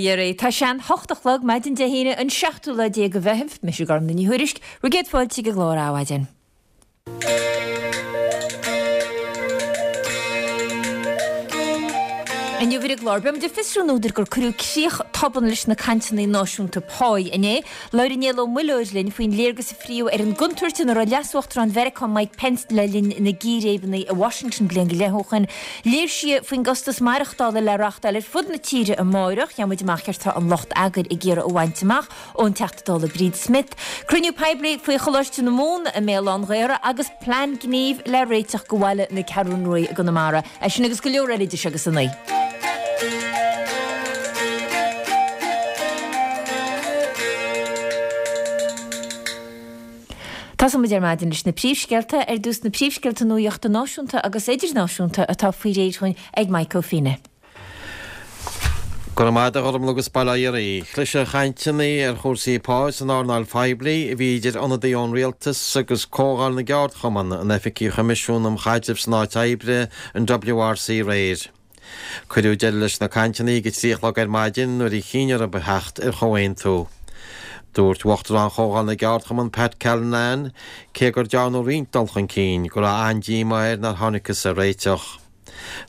Dhia Tá sé an 8 a chlog, maidin Dé hAoine, an seachtú lá déag de Mheitheamh. Mise Gormfhlaith Ní Thuairisg, bhur gcéad fáilte ag an gclár Adhmhaidin. Inniu ar an gclár, beimid ag fiosrú an údar gur cuireadh críoch tobann leis na cainteanna náisiúnta páí inné. Labhair Niall Ó Muilleoir linn faoin léargas a fríodh ar an gcontúirt ina raibh Leas-Uachtarán Mheiriceá Mike Pence le linn na gcíréibeanna i Washington bliain go leith ó shin. Léirsithe faoin gcostas maireachtála le reáchtáil ar fud na tíre amárach. Gheobhaidh muid amach céard tá an lucht eagair ag iarraidh a bhaint amach ón Teachta Dála Bríd Smith. Cruinniú poiblí faoi Choláiste na Mumhan i mBéal Átha'n Ghaorthaidh agus plean gnímh le réiteach go bhaile na Ceathrún Rua i gConamara. É sin agus go leor eile idir seo agus a 9. Tosóidh muid ar maidin leis na príomhscéalta. Ar dtús na príomhscéalta nuachta náisiúnta agus idirnáisiúnta atá faoi réir dhúinn ag Mike Ó Fianna. Go raibh maith agat a Ghormfhlaith agus bail ó Dhia oraibh. Chlis ar chainteanna ar chúrsaí pá san earnáil phoiblí a bhí idir ionadaí ón rialtas agus Comhdháil na gCeardchumann in oifigí Choimisiún um Chaidreamh san Áit Oibre, an WRC, aréir. Cuireadh deireadh leis na cainteanna ag a 3 a chlog ar maidin nuair a chinn orthu theacht ar chomhaontú. Dúirt Uachtarán Chomhdháil na gCeardchumann Pat Callinan, cé gur dearnadh roinnt dul chun cinn, go raibh an-díomá air nár thángthas ar réiteach.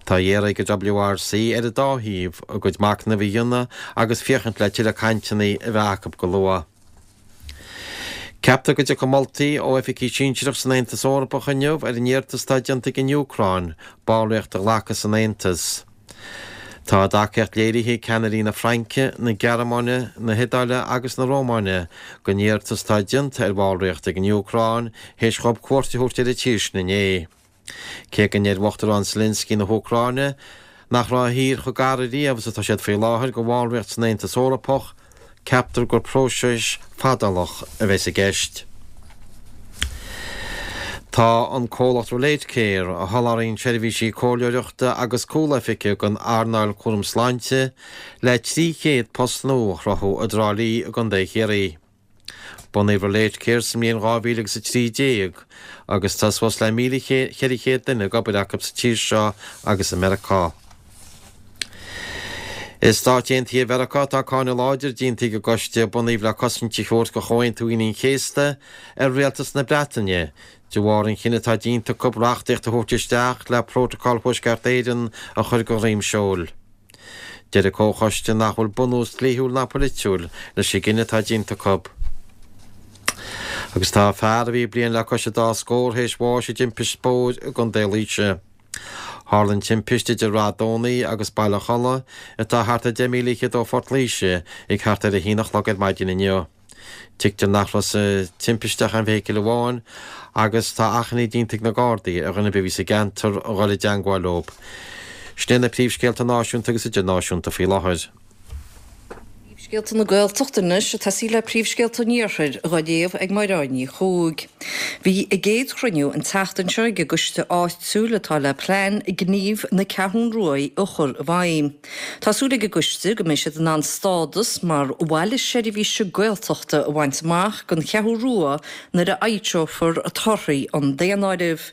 Tá á iarraidh ag an WRC ar an dá thaobh a gcuid machnaimh a dhéanamh agus féachaint le tuilleadh cainteanna a bheith acu go luath. Ceaptar go dtiocfaidh moltaí ó oifigigh sinsearach san Aontas Eorpach inniu ar an iarratas atá déanta ag an Úcráin ballraíocht a ghlacadh san Aontas. Tá a dtacaíocht léirithe ag ceannairí na Fraince, na Gearmáine, na hIodáile agus na Rómáine don iarratas atá déanta ar bhallraíocht ag an Úcráin théis dhóibh cuairt a thabhairt ar an tír sin inné. Cé go ndeir Uachtarán Zelensky na hÚcráine nach raibh a thír chomh gar ariamh is atá siad faoi láthair go bhallraíocht san Aontas Eorpach, ceaptar gur próiseas fadálach a bheas i gceist. Tá an comhlacht Relate Care, a sholáthraíonn seirbhísí comhairleoireachta agus cúloifige don earnáil cúram sláinte, le 300 post nua a chruthú i dTrá Lí i gContae Chiarraí. Bunaíodh Relate Care sa mbliain 2000 agus 13 agus tá suas le 1,400 duine ag obair acu sa tír seo agus i Meiriceá. I Stáit Aontaithe Mheiriceá tá cáineadh láidir déanta ag an gcoiste a bunaíodh le cosaint a thabhairt do Chomhaontú Aoine an Chéasta ar rialtas na Breataine de bharr an chinnidh atá déanta acu reachtaíocht a thabhairt isteach le Prótacal Thuaisceart Éireann a chur de dhroim seoil. Deir an Comhchoiste nach bhfuil bunús dlíthiúil ná polaitiúil leis an gcinneadh atá déanta acu. Agus tá fear a bhí bliain le cois an dá scór théis bháis i dtimpist bóthair i gContae Laoise. Tharla an timpist idir Rath Domhnaigh agus Baile Cholla, atá thart ar 10 míle fhichead ó Phort Laoise, ag thart ar a haon a chlog ar maidin inniu. Tuigtear nach raibh sa timpiste ach aon fheithicil amháin agus tá achainí déanta ag na Gardaí ar dhuine ar bith a bhí sa gceantar a dhul i dteangmháil leo. Sin iad na príomhscéalta náisiúnta agus idirnáisiúnta faoi láthair. Príomhscéalta na Gaeltachta anois ag tosaí le príomhscéalta an Iarthair dhá léamh ag Mairéad Ní Chuaig. Bhí a gcéad chruinniú an tseachtain seo ag an gcoiste áitiúil atá le plean gnímh na Ceathrún Ruaidh a chur i bhfeidhm. Tá súil ag an gcoiste go mbeidh siad in ann stádas mar bhaile seirbhíse Gaeltachta a bhaint amach don Cheathrú Rua nuair a fhoilseofar torthaí an daonáirimh.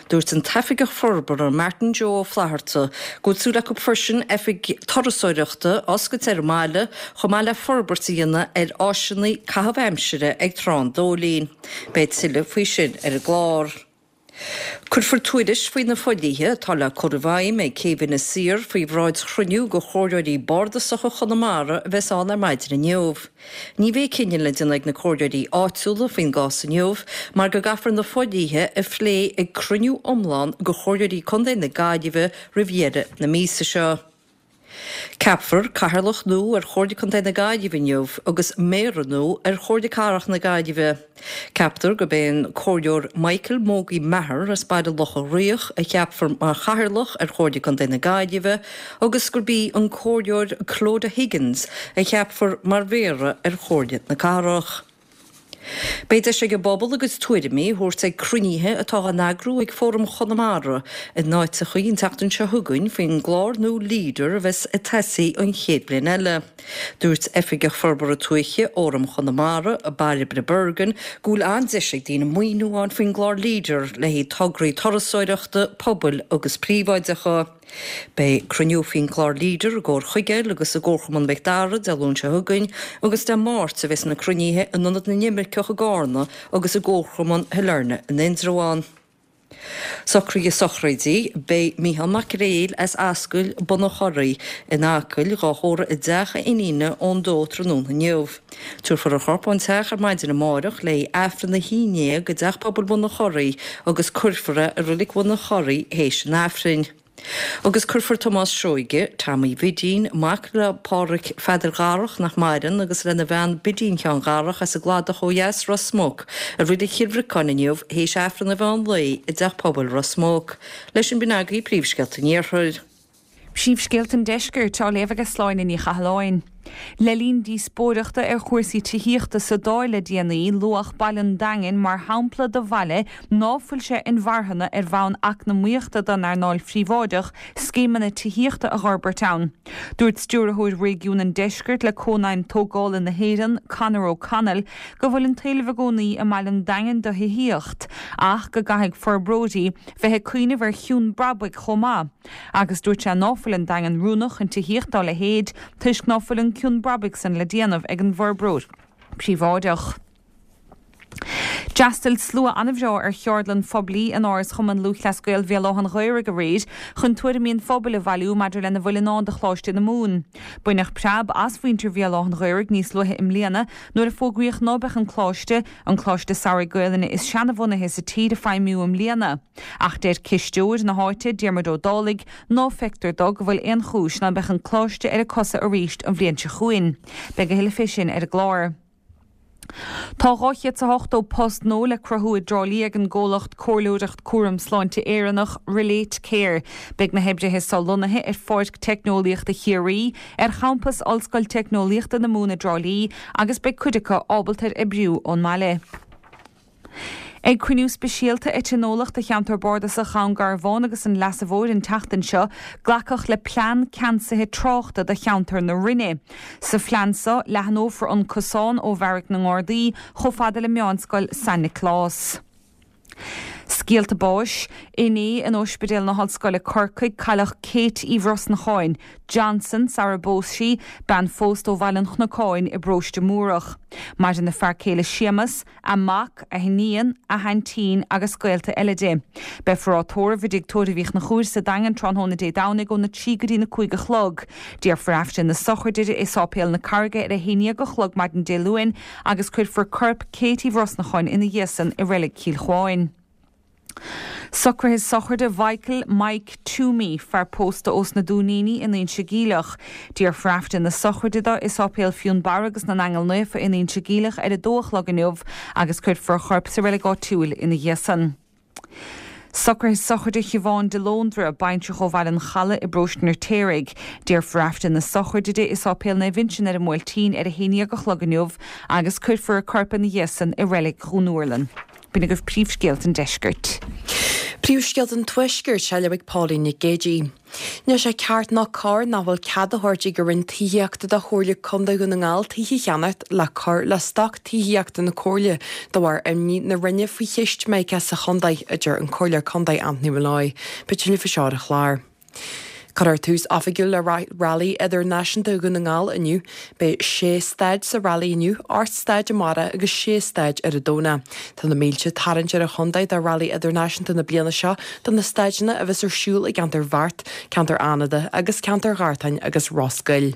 Dúirt an tOifigeach Forbartha Martin Joe Ó Flatharta go bhfuil súil acu freisin oifig turasóireachta a oscailt ar an mbaile chomh maith le forbairt a dhéanamh ar áiseanna caitheamh aimsire ag Trá an Dóilín. Beidh tuilleadh faoi sin ar an gclár. Cuirfear tuairisc faoi na fodhlíthe atá le cur i bhfeidhm ag Céibh Inis Oírr faoi bhráid chruinniú de Chomhairleoirí Bardasacha Chonamara a bheas ann ar maidin inniu. Ní bheidh cinneadh le déanamh ag na comhairleoirí áitiúla faoin gcás inniu mar go gcaithfear na fodhlíthe a phlé ag cruinniú iomlán de Chomhairleoirí Contae na Gaillimhe roimh dheireadh na míosa seo. Ceapfar Cathaoirleach nua ar Chomhairle Contae na Gaillimhe inniu agus Méara nua ar Chomhairle Cathrach na Gaillimhe. Ceaptar gurb é an Comhairleoir Michael Mogie Maher as Baile Locha Riach a cheapfar mar Chathaoirleach ar Chomhairle Contae na Gaillimhe agus gurb í an Comhairleoir Clodagh Higgins a cheapfar mar Mhéara ar Chomhairle na Cathrach. Beidh deis ag an bpobal a gcuid tuairimí a thabhairt ag cruinnithe atá á n-eagrú ag Fóram Chonamara in áiteachaí an tseachtain seo chugainn faoin gclár nua Leader a bheas ag tosaí an chéad bhliain eile. Dúirt Oifigeach Forbartha Tuaithe Fhóram Chonamara, Bairbre Bergin, go bhfuil an-deis ag daoine maoiniú a fháil faoin gclár Leader le haghaidh tograí turasóireachta, pobail agus príobháideacha. Beidh cruinniú faoin gclár Leader i gComhar Chuigéil agus i gComharchumann Mhic Dara Dé Luain seo chugainn agus Dé Máirt a bheas na cruinnithe in Ionad na nImirceach i gCarna agus i gComharchumann Shailearna in Indreabhán. Socruithe sochraide, Beidh Micheál Mac Gréil as Ascaill Bun an Chorraigh in Acaill dhá thórramh i dteach a iníne ón dó tráthnóna inniu. Tabharfar a chorp ón teach ar maidin amárach le haghaidh Aifreann a haon dhéag i dTeach Pobail Bhun an Chorraigh agus cuirfear é i Reilig Bhun an Chorraigh théis an Aifrinn. Agus cuirfear Tomás Seoige, Tommy Bhidín, mac le Pádhraic Pheadair Dharach nach maireann agus lena bhean Bidín Sheáin Dharach as an gCladach ó dheas, Ros Muc, i Reilig Chill Bhriocáin inniu théis Aifreann an mheán lae i dTeach Pobail Ros Muc. Leis sin b'in agaibh príomhscéalta an Iarthair. Príomhscéalta an Deiscirt á léamh ag Sláine Ní Chathalláin. Le linn díospóireachta ar chúrsaí tithíochta sa Dáil le déanaí, luadh baile an Daingin mar shampla de bhaile ná fuil sé inmharthana ar bhonn eacnamaíochta don earnáil phríobháideach scéimeanna tithíochta a dh'fhorbairt ann. Dúirt Stiúrthóir Réigiún an Deiscirt le Cónaidhm Tógála na hÉireann, Conor O'Connell, go bhfuil an t-éileamh i gcónaí i mbaile an Daingin do thithíocht ach go gcaithfidh forbróirí bheith ag cuimhneamh ar chion brabaigh chomh maith. Agus dúirt sé ná fuil an Daingean oiriúnach chun tithíocht dá leithéid toisc ná fuil an cion brabaigh san le déanamh ag an bhforbróir príobháideach. D'fhreastail slua an-bhreá ar cheardlann phoiblí in Áras Chumann Lúthchleas Gael Bhéal Átha an Ghaorthaidh aréir chun tuairimí an phobail a bhailiú maidir lena bhfuil i ndán do Choláiste na Mumhan. Baineadh preab as mhuintir Bhéal Átha an Ghaorthaidh níos luaithe i mbliana nuair a fógraíodh ná beadh an Coláiste, an Coláiste Samhraidh Gaelainne is seanabhunaithe sa tír, ag feidhmiú i mbliana. Ach deir cisteoir na háite, Diarmuid Ó Dálaigh, ná feictear dó go bhfuil aon chúis ná beadh an Coláiste ar a cosa arís an bhliain seo chugainn. Beidh a thuilleadh fé sin ar an gclár. Tá 280 post nua le cruthú i dTrá Lí ag an gcomhlacht comhairleoireacht cúram sláinte Éireannach, Relate Care. Beidh na hoibrithe so lonnaithe ar Pháirc Teicneolaíochta Chiarraí, ar champas Ollscoil Teicneolaíochta na Mumhan i dTrá Lí agus beidh cuid acu ábalta ar oibriú ón mbaile. Ag cruinniú speisialta a tionóladh do Cheantar Bardasach Dhún Garbhán agus an Leasa Mhóir an tseachtain seo, glacadh le plean ceansaithe tráchta do cheantar na Rinne. Sa phlean seo, leathnófar an cosán ó Bheairic na nGardaí chomh fada le Meánscoil San Nioclás. Scéalta báis, Inné in Ospidéal na hOllscoile Corcaigh, cailleadh Kate Uí Bhrosnacháin, Johnson, sara bpós sí, bean phósta ó Bhaile an Chnocáin i bParóiste Múrach. Maireann a fear céile Séamas, a mac, a hiníon, a haintín agus gaolta eile di. Beifear á tórramh i dTigh Tórraimh Uí Chonchúir sa Daingean tráthnóna Dé Domhnaigh óna 3 go dtína 5 a chlog. Déarfar Aifreann na sochraide di i Sáipéal na Carraige ar a 11 a chlog maidin Dé Luain agus cuirfear corp Kate Uí Bhrosnacháin ina dhiaidh san i Reilig Chill Chuáin. Socruithe sochraide Mhichael Mike Toomey, fear pósta ós na Dúiníní in Inse Geimhleach. Déarfar Aifreann na sochraide dó i Sáipéal Fionnbarra agus na nAingeal Naofa in Inse Geimhleach ar a dó a chlog inniu agus cuirfear a chorp sa reilig áitiúil ina dhiaidh san. Socruithe sochraide Shiobhán de Lóndra, baintreach ó Bhaile an Chalaidh i bParóiste an Fheirtéaraigh. Déarfar Aifreann na sochraide di i Sáipéal Naomh Uinseann ar an mBuailtín ar a haon dhéag a chlog inniu agus cuirfear a corp ina dhiaidh san i Reilig Dhún Úrlann. B'in agaibh príomhscéalta an deiscirt. Príomhscéalta an Tuaiscirt á léamh ag Pauline Nic Géadaigh. Níl sé ceart ná cóir nach bhfuil cead á thabhairt ag an Roinn Tithíochta do Chomhairle Contae Dhún na nGall tithe a cheannacht le cur le stoc tithíochta na Comhairle de bharr imní na Roinne faoi cheist Mica sa chontae, a deir an Comhairleoir Contae Anthony Molloy. Beidh tuilleadh faoi seo ar an chlár. Cuirfear tús oifigiúil le Railí Idirnáisiúnta Dhún na nGall inniu. Beidh sé staid sa railí inniu, 8 staid amárach agus sé staid ar an Domhnach. Tá na mílte ag tarraingt ar an chontae do Railí Idirnáisiúnta na bliana seo do na staideanna a bheas ar siúl i gceantar Bheart, ceantar Fhánada agus ceantar Ghartáin agus Ros Goill.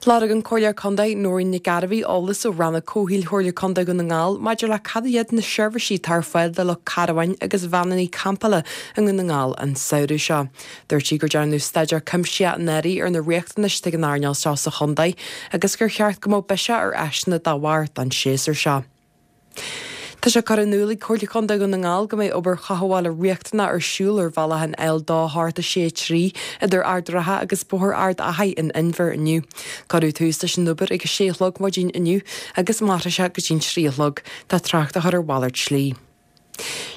Lorg an Comhairleoir Contae Nóirín Nic Gairbheith eolas ó Rannóg Comhshaoil Chomhairle Contae Dhún na nGall maidir le cad iad na seirbhísí atá ar fáil do lucht carbháin agus veaineanna campála i nDún na nGall an samhradh seo. Dúirt sí gur dearnadh staidéar cuimsitheach anuraidh ar na riachtanais atá ag an earnáil seo sa chontae agus gur cheart go mbeadh biseach ar áiseanna dá bharr don séasúr seo. Tá sé curtha in iúl ag Comhairle Contae Dhún na nGall go mbeidh obair chothabhála riachtanach ar siúl ar bhealach an L2 8 6 3 idir Ard an Rátha agus Bóthar Ard Achaidh in Inbhear inniu. Cuireadh tús leis an obair ag a sé a chlog maidin inniu agus mairfidh sé go dtí'n trí a chlog. Tá trácht á chur ar mhalairt slí.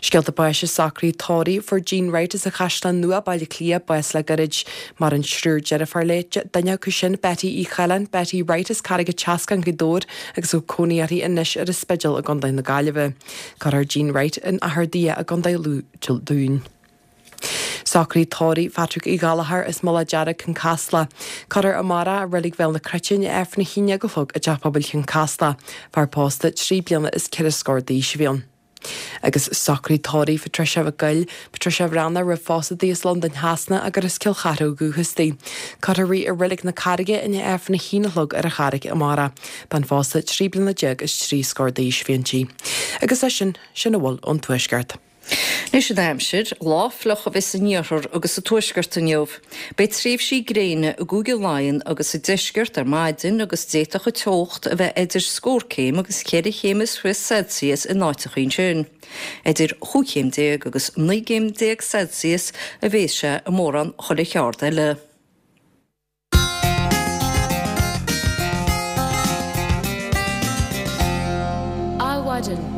Scéalta báis i socruithe tórraimh fuair Jean Wright as an Chaisleán Nua, Baile Átha Cliath, bás le gairid. Maireann triúr deirfiúr léi, duine acu sin, Betty Uí Choileáin, Betty Wright as Carraig an tSeascáin, Gaoth Dobhair, agus a bhfuil cónaí uirthi anois ar an Spidéal i gContae na Gaillimhe. Cuirfear Jean Wright in Achar Daighe i gContae Lú Dé Luain. Socruithe tórraimh Phatrick Uí Ghallchóir as Mullach Dearg, Cionn Caslach. Cuirfear amárach i Reilig Bhéal na Cruite i ndiaidh Aifreann 11 a chlog i dTeach Pobail Chionn Caslach. Fear pósta 3 bliana is 4 scór d'aois a bhí ann. Agus socruithe tórraimh Patricia Mhic Goill, Patricia Bhreathnach roimh phósadh di as Londain Shasana agus as Cill Chartha ó dhúchas di. Cuirfear í i Reilig na Carraige i ndiaidh Aifreann 1 a chlog ar an Charraig amárach. Bean phósta 13 bliana is 3 scór d'aois a bhí inti. Agus é sin, sin a bhfuil ón Tuaisceart. Anois an aimsir, lá fliuch a bheas san iarthar agus sa tuaisceart inniu. Beidh tréimhsí gréine i gCúige Laighean agus sa deisceart ar maidin agus d'fhéadfadh an teocht a bheith idir scór céim agus cheithre chéim is fiche Celsius in áiteacha ansin. Idir chúig chéim déag agus 19 gcéim Celsius a bheas sé i mórán chuile cheard eile. Adhmhaidin.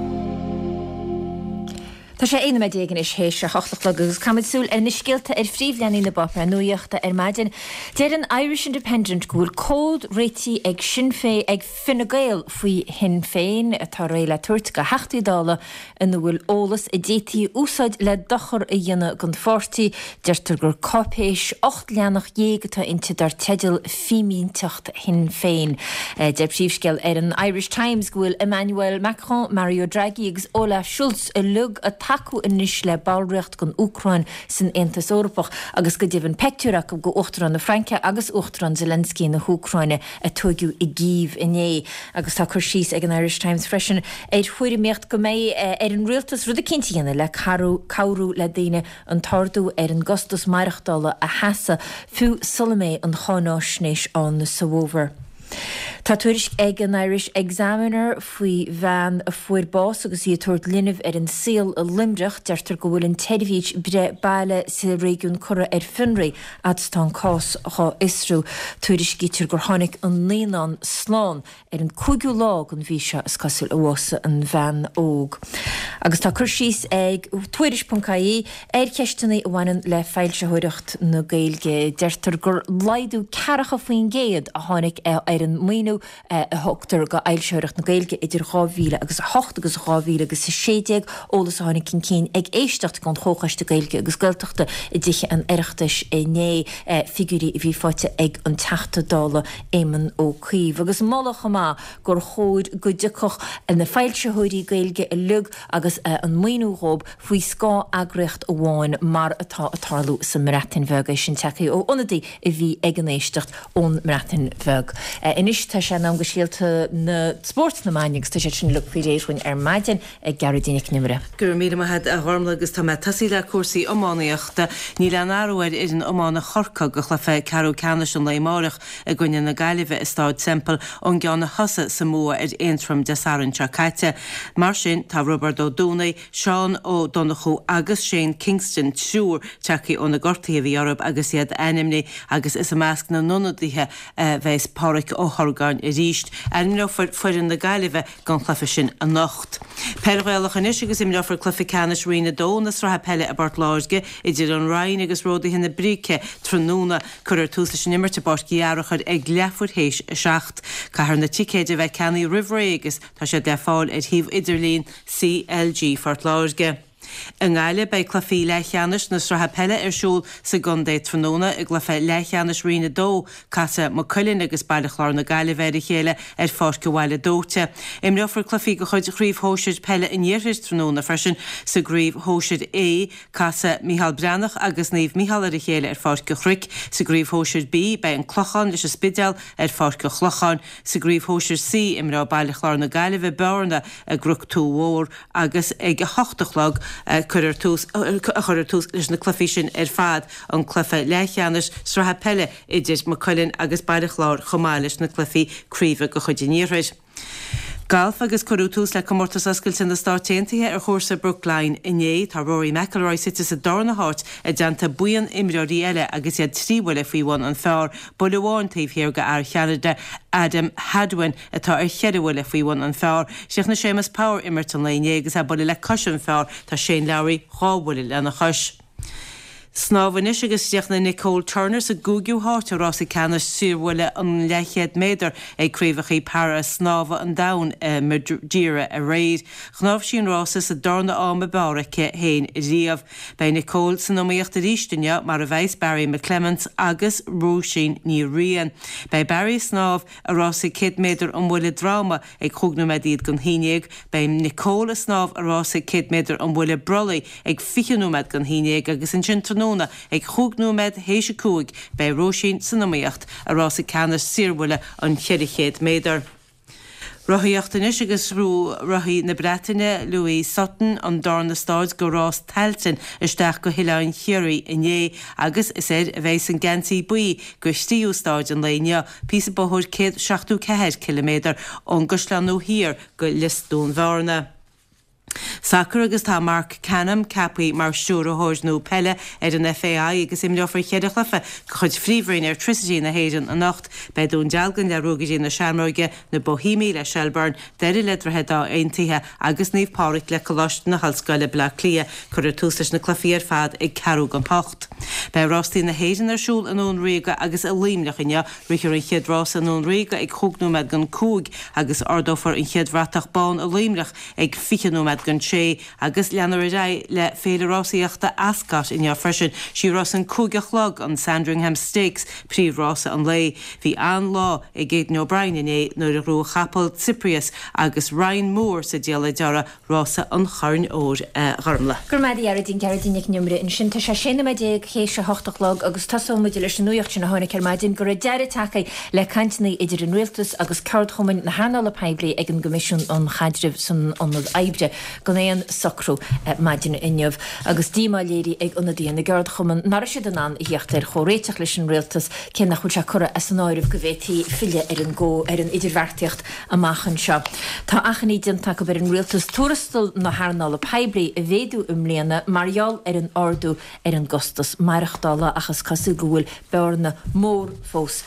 Tá sé 11 nóiméad anois théis a hocht a chlog agus caithfimid súil ar na scéalta ar phríomhleathanaigh na bpáipéar nuaíochta ar maidin. Deir an Irish Independent go bhfuil comhad réitithe ag Sinn Féin ag Fine Gael faoi Shinn Féin atá réidh le tabhairt go Theachtaí Dála ina bhfuil eolas a d'fhéadfaí a úsáid le dochar a dhéanamh don pháirtí. Deirtear gur cáipéis 18 leathanach atá inti dar teideal 'Fímínteacht Shinn Féin'. Deir príomhscéal ar an Irish Times go bhfuil Emmanuel Macron, Mario Draghi agus Olaf Scholz uilig ag tacú anois le ballraíocht don Úcráin san Aontas Eorpach agus go deimhin peictiúr acu de Uachtarán na Fraince agus Uachtarán Zelensky na hÚcráine a tóigeadh i gCív inné. Agus tá cur síos ag an Irish Times freisin ar thuairimíocht go mbeidh ar an rialtas rud eicínt a dhéanamh le cabhrú le daoine an t-ardú ar an gcostas maireachtála a sheasamh, fiú sula mbeidh an cháináisnéis ann sa bhfómhar. Tá tuairisc ag an Irish Examiner faoi bhean a fuair bás agus í ag tabhairt linbh ar an saol i Luimneach. Deirtear go bhfuil an tseirbhís breith baile sa réigiún curtha ar fionraí fhad is atá an cás dhá fhiosrú. Tuairiscítear gur tháinig an naíonán slán ar an 5ú lá den mhí seo, is cosúil, a bhásaigh an bhean óg. Agus tá cur síos ag Tuairisc.ie ar cheisteanna a bhaineann le foilsitheoireacht na Gaeilge. Deirtear gur laghdú 40% a tháinig ar an maoiniú a thugtar go fhoilsitheoireacht na Gaeilge idir 2000 agus 8 agus 2000 agus 16, eolas a tháinig chun cinn ag éisteacht den Chomhchoiste Gaeilge agus Gaeltachta i dTithe an Oireachtais inné, figiúirí a bhí faighte ag an Teachta Dála Éamon Ó Cuív. Agus moladh chomh maith gur chóir go dtiocfadh na foilsitheoirí Gaeilge uilig agus an maoiniú dhóibh faoi scáth eagraíocht amháin mar atá ag tarlú sa mBreatain Bheag. É sin tagtha ó ionadaí a bhí ag an éisteacht ón mBreatain Bheag. Anois tá sé in am do scéalta na spóirt na maidine agus tá siad sin uilig faoi réir dhúinn ar maidin ag Gearóidín Nic an Iomaire. Go raibh míle maith agat a Ghormlaith agus tá mé ag tosaí le cúrsaí iománaíochta. Níl aon athrú ar fhoireann iomána Chorcaí do chluiche ceathrú ceannais an lae amáireach i gcoinne na Gaillimhe i Stáid Semple ón gceann a thosaigh sa mbua ar Aontroim Dé Sathairn seo caite. Mar sin tá Roibeard Ó Dúnaigh, Seán Ó Donnchú agus Shane Kingston, triúr tagtha ó na gortuithe a bhí orthu agus iad ainmnithe agus is i measc na n-ionadaithe a bheas Páraic Ó hOrgáin arís. Ainmneofar foireann na Gaillimhe don chluiche sin anocht. Peil Ghaelach anois agus imreofar cluiche ceannais Roinn 2 na Sraithe Peile i bPort Láirge idir an Rinn agus Ródaithe na Bríce tráthnóna. Cuirfear tús leis an imirt i bPáirc Uí Fhearachair ag leathuair théis a 7. Caithfear na ticéid a bheith ceannaithe roimh ré agus Tá siad le fáil ar shuíomh idirlín CLG Phort Láirge. I nGaillimh, beidh cluichí leathcheannais na sraithe peile ar siúl sa gcontae tráthnóna. I gcluiche leathcheannais Roinn 2, casfaidh Maigh Cuilinn agus Baile Chláir na Gaillimhe ar a chéile ar Pháirc an Bhaile Dóite. Imreofar cluichí de chuid Chraobh Shóisir Peile an Iarthair tráthnóna freisin. Sa gCraobh Shóisir A, casfaidh Micheál Breathnach agus Naomh Micheál ar a chéile ar Pháirc an Chnoic. Sa gCraobh Shóisir B, beidh An Clochán leis an Spidéal ar Pháirc an Chlocháin. Sa gCraobh Shóisir C, imreoidh Baile Chláir na Gaillimhe, Bearna i gCnoc Tuath Mhór agus ag 8 a chlog a cuirfear tús a chuirfear tús leis na cluichí sin ar fad, an cluiche leathcheannais sraithe peile idir Maigh Cuilinn agus Baile Chláir chomh maith leis na cluichí craoibhe de chuid an Iarthair. Galf agus cuireadh tús le Comórtas Oscailte na Stáit Aontaithe ar chúrsa Brookline inné. Tá Rory McIlroy suite sa darna háit i dteannta buíon imreoirí eile agus iad trí bhuille faoi bhun an phar. Buille amháin taobh thiar de fhear Cheanada, Adam Hadwin, atá ar cheithre bhuille faoi bhun an phar. Chríochnaigh Séamus Power imirt an lae inné agus é buille le cois an phar. Tá Shane Lowry dhá bhuille lena chois. Snámh anois agus chríochnaigh Nicole Turner sa gcúigiú háit i rása ceannais saorbhuille an leathchéad méadar ag Craobhacha Para Snámha an Domhain i Madeira aréir. Shnámh sí an rása sa darna am ab fhearr aici féin riamh. Beidh Nicole san iomaíocht arís inniu mar a bheas Barry McClements agus Róisín Ní Riain. Beidh Barry ag snámh i rása 100 méadar an bhuille droma ag chúig nóiméad don haon dhéag, beidh Nicole ag snámh i rása 100 méadar an bhuille brollaigh ag 20 nóiméad don haon dhéag agus ansin tráthnóna ag chúig nóiméad théis a 5 beidh Róisín san iomaíocht i rása ceannais saorbhuille an 400 méadar. Rothaíocht anois agus ghnóthaigh rothaí na Breataine, Louis Sutton, an darna stáid de rás Tailteann isteach go hOileán Chiarraí inné agus is air a bheas an geansaí buí do thríú stáid an lae inniu, píosa bóthair 174 ciliméadar ón gCaisleán Nua Thiar go Lios Dún Bhearna. Sacar agus tá Marc Canham ceaptha mar stiúrthóir nua peile ar an FAI agus imreofar cheithre chluiche de chuid Phríomhroinn Airtricity na hÉireann anocht. Beidh Dún Dealgan le Ruagairí na Seamróige, na Boihéamaigh le Shelbourne, Doire le Droichead Átha Aontaithe agus Naomh Pádraig le Coláiste na hOllscoile, Baile Átha Cliath. Cuirfear tús leis na cluichí ar fad ag ceathrú don hocht. Beidh rástaí na hÉireann ar siúl i nDún Ríoga agus i Luimneach inniu. Rithfear an chéad rása i nDún Ríoga ag chúig nóiméad don cúig agus ardófar an chéad bhratach bán i Luimneach ag 20 nóiméad don sé agus leanfar ar aghaidh le Féile Rásaíochta Ascot inniu freisin. Sí rás an cúig a chlog, an Sandringham Stakes, príomhrása an lae. Bhí an-lá ag Aidan O'Brien inné nuair a ghnóthaigh a chapall Cyprius agus Ryan Moore sa diallait orthu rása an Choirn Óir a Ghormlaith. Go raibh maith agat a Ghearóidín, Gearóidín Nic an Iomaire ansin. Tá sé 16 nóiméad théis a hocht a chlog agus tosóidh muid leis an nuacht sin a tháinig ar maidin go raibh deireadh tagtha le cainteanna idir an Rialtas agus ceardchumainn na hearnála poiblí ag an gCoimisiún um Chaidreamh san Ionad Oibre gan aon socrú maidin inniu agus díomá léirithe ag ionadaithe na gceardchumann nach raibh siad in ann a theacht ar chomhréiteach leis an Rialtas cé nach bhfuil sé curtha as an áireamh go bhféadfaí filleadh ar an ar an idirbheartaíocht amach anseo. Tá achainí déanta acu ar an Rialtas tuarastal na hearnála poiblí a mhéadú i mbliana mar gheall ar an ardú ar an gcostas maireachtála ach is cosúil go bhfuil bearna mór fós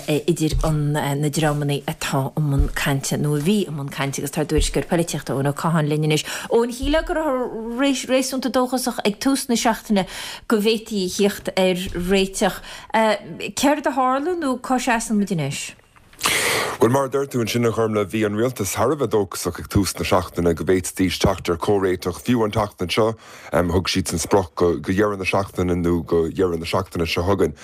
idir na dreamanna atá i mbun cainte, nó a bhí i mbun cainte agus tá ár dtuairisceoir polaitíochta Eoin Ó Catháin linn anois. Eoin, shílfeá go rabhthar réasúnta dóchasach ag tús na seachtaine go bhféadfaí a thíocht ar réiteach. Céard a tharla nó cá seasann muid anois? Bhuel, mar a deir tú ansin, a Ghormlaith, bhí an rialtas thar a bheith dóchasach ag tús na seachtaine go bhféadfaidís teacht ar chomhréiteach, fiú an tseachtain seo. Thug siadsan sprioc go dheireadh na seachtaine nó go dheireadh na seachtaine seo chugainn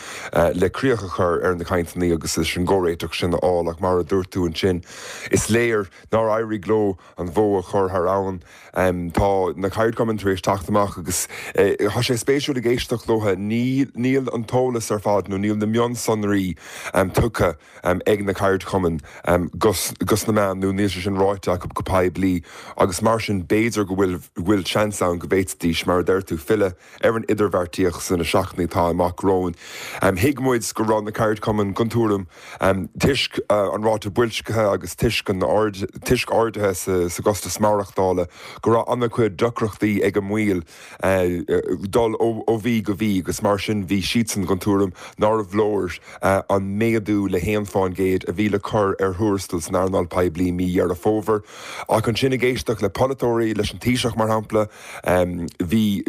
le críoch a chur ar na cainteanna agus leis an gcomhréiteach sin a fháil ach mar a dúirt tú ansin, is léir nár éirigh leo an bhó a chur thar abhainn. Tá na ceardchumainn tar éis teacht amach agus tá sé spéisiúil ag éisteacht leo. Níl an t-eolas ar fad nó níl na mionsonraí tugtha ag na ceardchumainn dos na meáin nó níl sé sin ráite acu go poiblí agus mar sin b'fhéidir go bhfuil seans ann go bhféadfaidís, mar a deir tú, filleadh ar an idirbheartaíocht sna seachtainí atá amach romhainn. Thuig muid go raibh na ceardchumainn den tuairim, toisc an ráta boilscithe agus toisc an toisc arduithe sa gcostas maireachtála, go raibh an-chuid deacrachtaí ag a mbaill dul ó mhí go mí agus mar sin bhí siadsan den tuairim nárbh leor an méadú le haon fán gcéad a bhí le cur ar thuarastal san earnáil poiblí mí Dheireadh Fómhair. Ach ansin ag éisteacht le polaiteoirí, leis an Taoiseach mar shampla, Bhí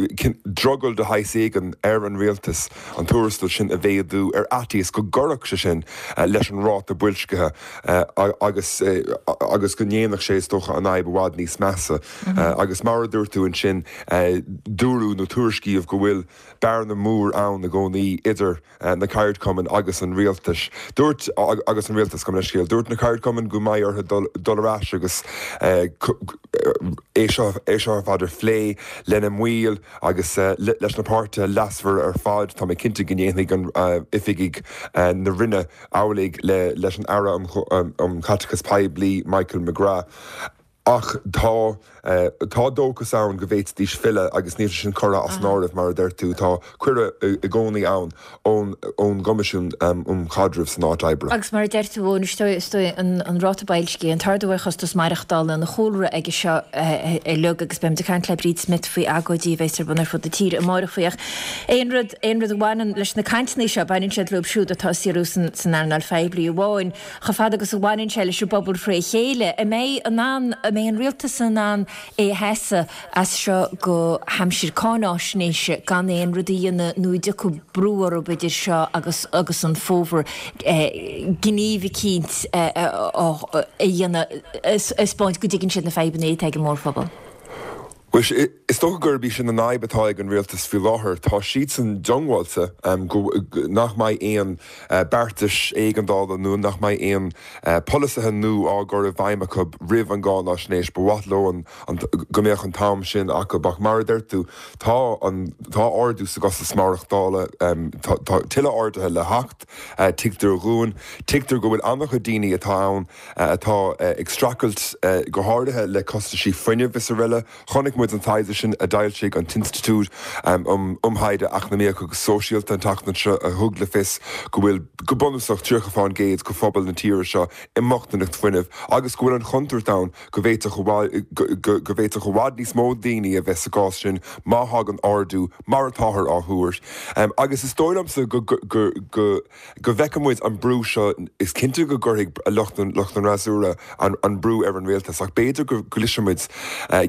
drogall de shaghas éigin ar an rialtas an tuarastal sin a mhéadú ar fhaitíos go gcuirfeadh sé sin leis an ráta boilscithe agus agus go ndéanfadh sé, is dócha, an fhadhb i bhfad níos measa. Agus mar a dúirt tú ansin, dúradh nó tuairiscíodh go bhfuil bearna mhór ann i gcónaí idir na ceardchumainn agus an rialtais. Dúirt, agus an rialtas, gabh mo leithscéal, dúirt na ceardchumainn go mbeidh orthu dul, dul ar ais agus é seo, é seo ar fad a phlé lena mbaill agus leis na páirtithe leasmhara ar fad. Tá mé cinnte go ndéanfaidh an oifigigh na Roinne amhlaidh le, leis an Aire um, um Chaiteachas Poiblí, Michael McGrath. Ach tá, tá dóchas ann go bhféadfaidís filleadh agus níl sé sin curtha as an áireamh, mar a deir tú. Tá cuireadh i gcónaí ann ón ón gCoimisiún um Chaidreamh san Áit Oibre. Agus mar a deir tú, Eoin, is dóigh, is dóigh an an ráta boilscithe, an t-ardú ar chostas maireachtála ina chúlra aige seo uilig agus beimid ag caint le Bríd Smith faoi agóidí a bheas ar bun ar fud na tíre amárach faoi ach aon rud, aon rud a bhaineann leis na cainteanna seo, baineann siad leo siúd atá ag saothrú san san earnáil phoiblí amháin. Chomh fada agus a bhaineann sé leis an bpobal fré chéile, an mbeidh in ann, An mbeidh an rialtas in ann é a sheasamh as seo go haimsir cáináisnéise gan aon rud a dhéanamh nó an dtiocfaidh brú orthu idir seo agus agus an fómhar gníomh eicínt a dhéanamh a 'spáint go dtuigeann siad na fadhbanna atá ag an mórphobal? Bhuel, is dócha gurb í sin an fhadhb atá ag an rialtas faoi láthair. Tá siadsan diongbháilte go nach mbeidh aon beartais éigeandála nó nach mbeidh aon polasaithe nua á gcur i bhfeidhm acu roimh an gcáináisnéis. Ba mhaith leo go mbeadh an t-am sin acu ach mar a deir tú, tá an tá ardú sa gcostas maireachtála, tá tuilleadh arduithe le theacht, tuigtear dhúinn. Tuigtear go bhfuil an-chuid daoine atá ann atá ag streachailt go háirithe le costaisí fuinnimh is araile. Chonaic muid an taighde sin a d'fhoilsigh an tInstitiúid um Thaighde Eacnamaíoch agus Sóisialta an tseachtain seo a thug le fios go bhfuil go bunúsach 30 fán gcéad de phobal na tíre seo i mbochtaineacht fuinnimh agus go bhfuil an chontúirt ann go bhféadfadh go bhféadfadh i bhfad níos mó daoine a bheith sa gcás sin má thagann ardú mar atáthar á thuar. Agus is dóigh liomsa go go go bhfeicfidh muid an brú seo, is cinnte go gcuirfidh lucht an fhreasúra an brú ar an rialtas ach b'fhéidir go gcloisfidh muid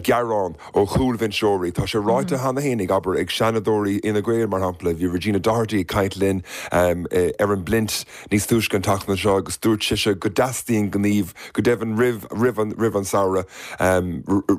gearán ó chúlbhinseoirí. Tá sé ráite cheana féin ag, abair, ag Seanadóirí Fhine Gael, mar shampla. Bhí Regina Doherty ag caint linn ar an bPlint níos túisce an tseachtain seo agus dúirt sise go dteastaíonn gníomh, go deimhin roimh, roimh an, roimh an samhradh,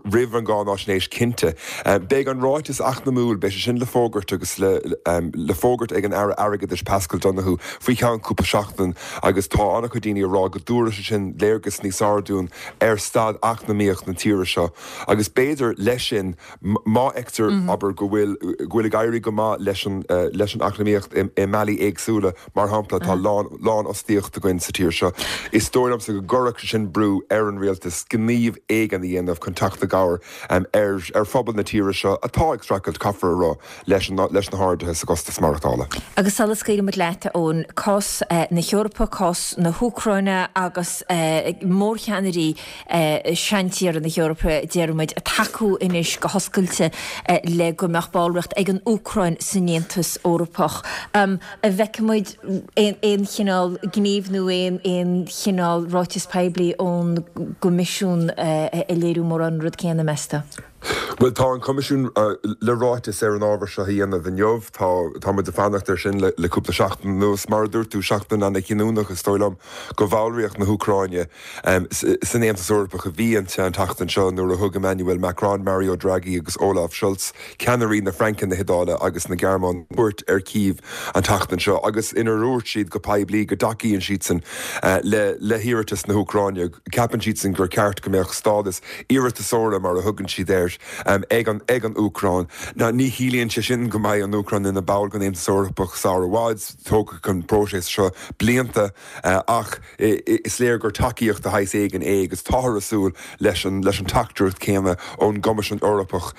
roimh an gcáináisnéis cinnte. Beidh an ráiteas eacnamúil, beidh sé sin le fógairt agus le, le fógairt ag an Aire Airgeadais Paschal Donohoe faoi cheann cúpla seachtain agus tá an-chuid daoine ag rá go dtabharfaidh sé sin léargas níos fearr dúinn ar staid eacnamaíoch na tíre seo agus b'fhéidir leis sin má fheictear, abair, go bhfuil, go bhfuil ag éirí go maith leis an, leis an eacnamaíocht i, i mbealaí éagsúla, mar shampla, tá lán, lánfhostaíocht againn sa tír seo, is dóigh liomsa go gcuirfeadh sé sin brú ar an rialtas gníomh éigin a dhéanamh chun teacht i gcabhair ar, ar phobal na tíre seo atá ag streachailt, caithfear a rá, leis an, leis na harduithe sa gcostas maireachtála. Agus sula scaoilfidh muid leat, a Eoin, cás na hEorpa, cás na hÚcráine agus mórcheannairí seantíortha na hEorpa, déarfaidh muid, ag tacú anois go hoscailte le go mbeadh ballraíocht ag an Úcráin san Aontas Eorpach. An bhfeicfidh muid aon chineál gnímh nó aon chineál ráiteas poiblí ón gCoimisiún ag léiriú mórán an rud céanna, meas tú? Bhuel, tá an Coimisiún le ráiteas ar an ábhar seo a dhéanamh inniu. Tá, tá muid ag fanacht air sin le cúpla seachtain anuas. Mar a dúirt tú, seachtain ana-chinniúnach, is dóigh liom, do bhallraíocht na hÚcráine san Aontas Eorpach a bhí inti an tseachtain seo nuair a thug Emmanuel Macron, Mario Draghi agus Olaf Scholz, ceannairí na Fraince, na hIodáile agus na Gearmáine, cuairt ar Kyiv an tseachtain seo agus inar dhúirt siad go poiblí go dtacaíonn siadsan le hiarratas na hÚcráine. Ceapann siadsan gur ceart go mbeadh stádas iarratasóra, mar a thugann siad air, ag an ag an Úcráin. Now ní chiallaíonn sé sin go mbeidh an Úcráin ina ball den Aontas Eorpach sar i bhfad, tógfaidh an próiseas seo blianta, ach is léir gur tacaíocht de shaghas éigin é agus táthar ag súil leis an leis an teachtaireacht chéanna ón gCoimisiún Eorpach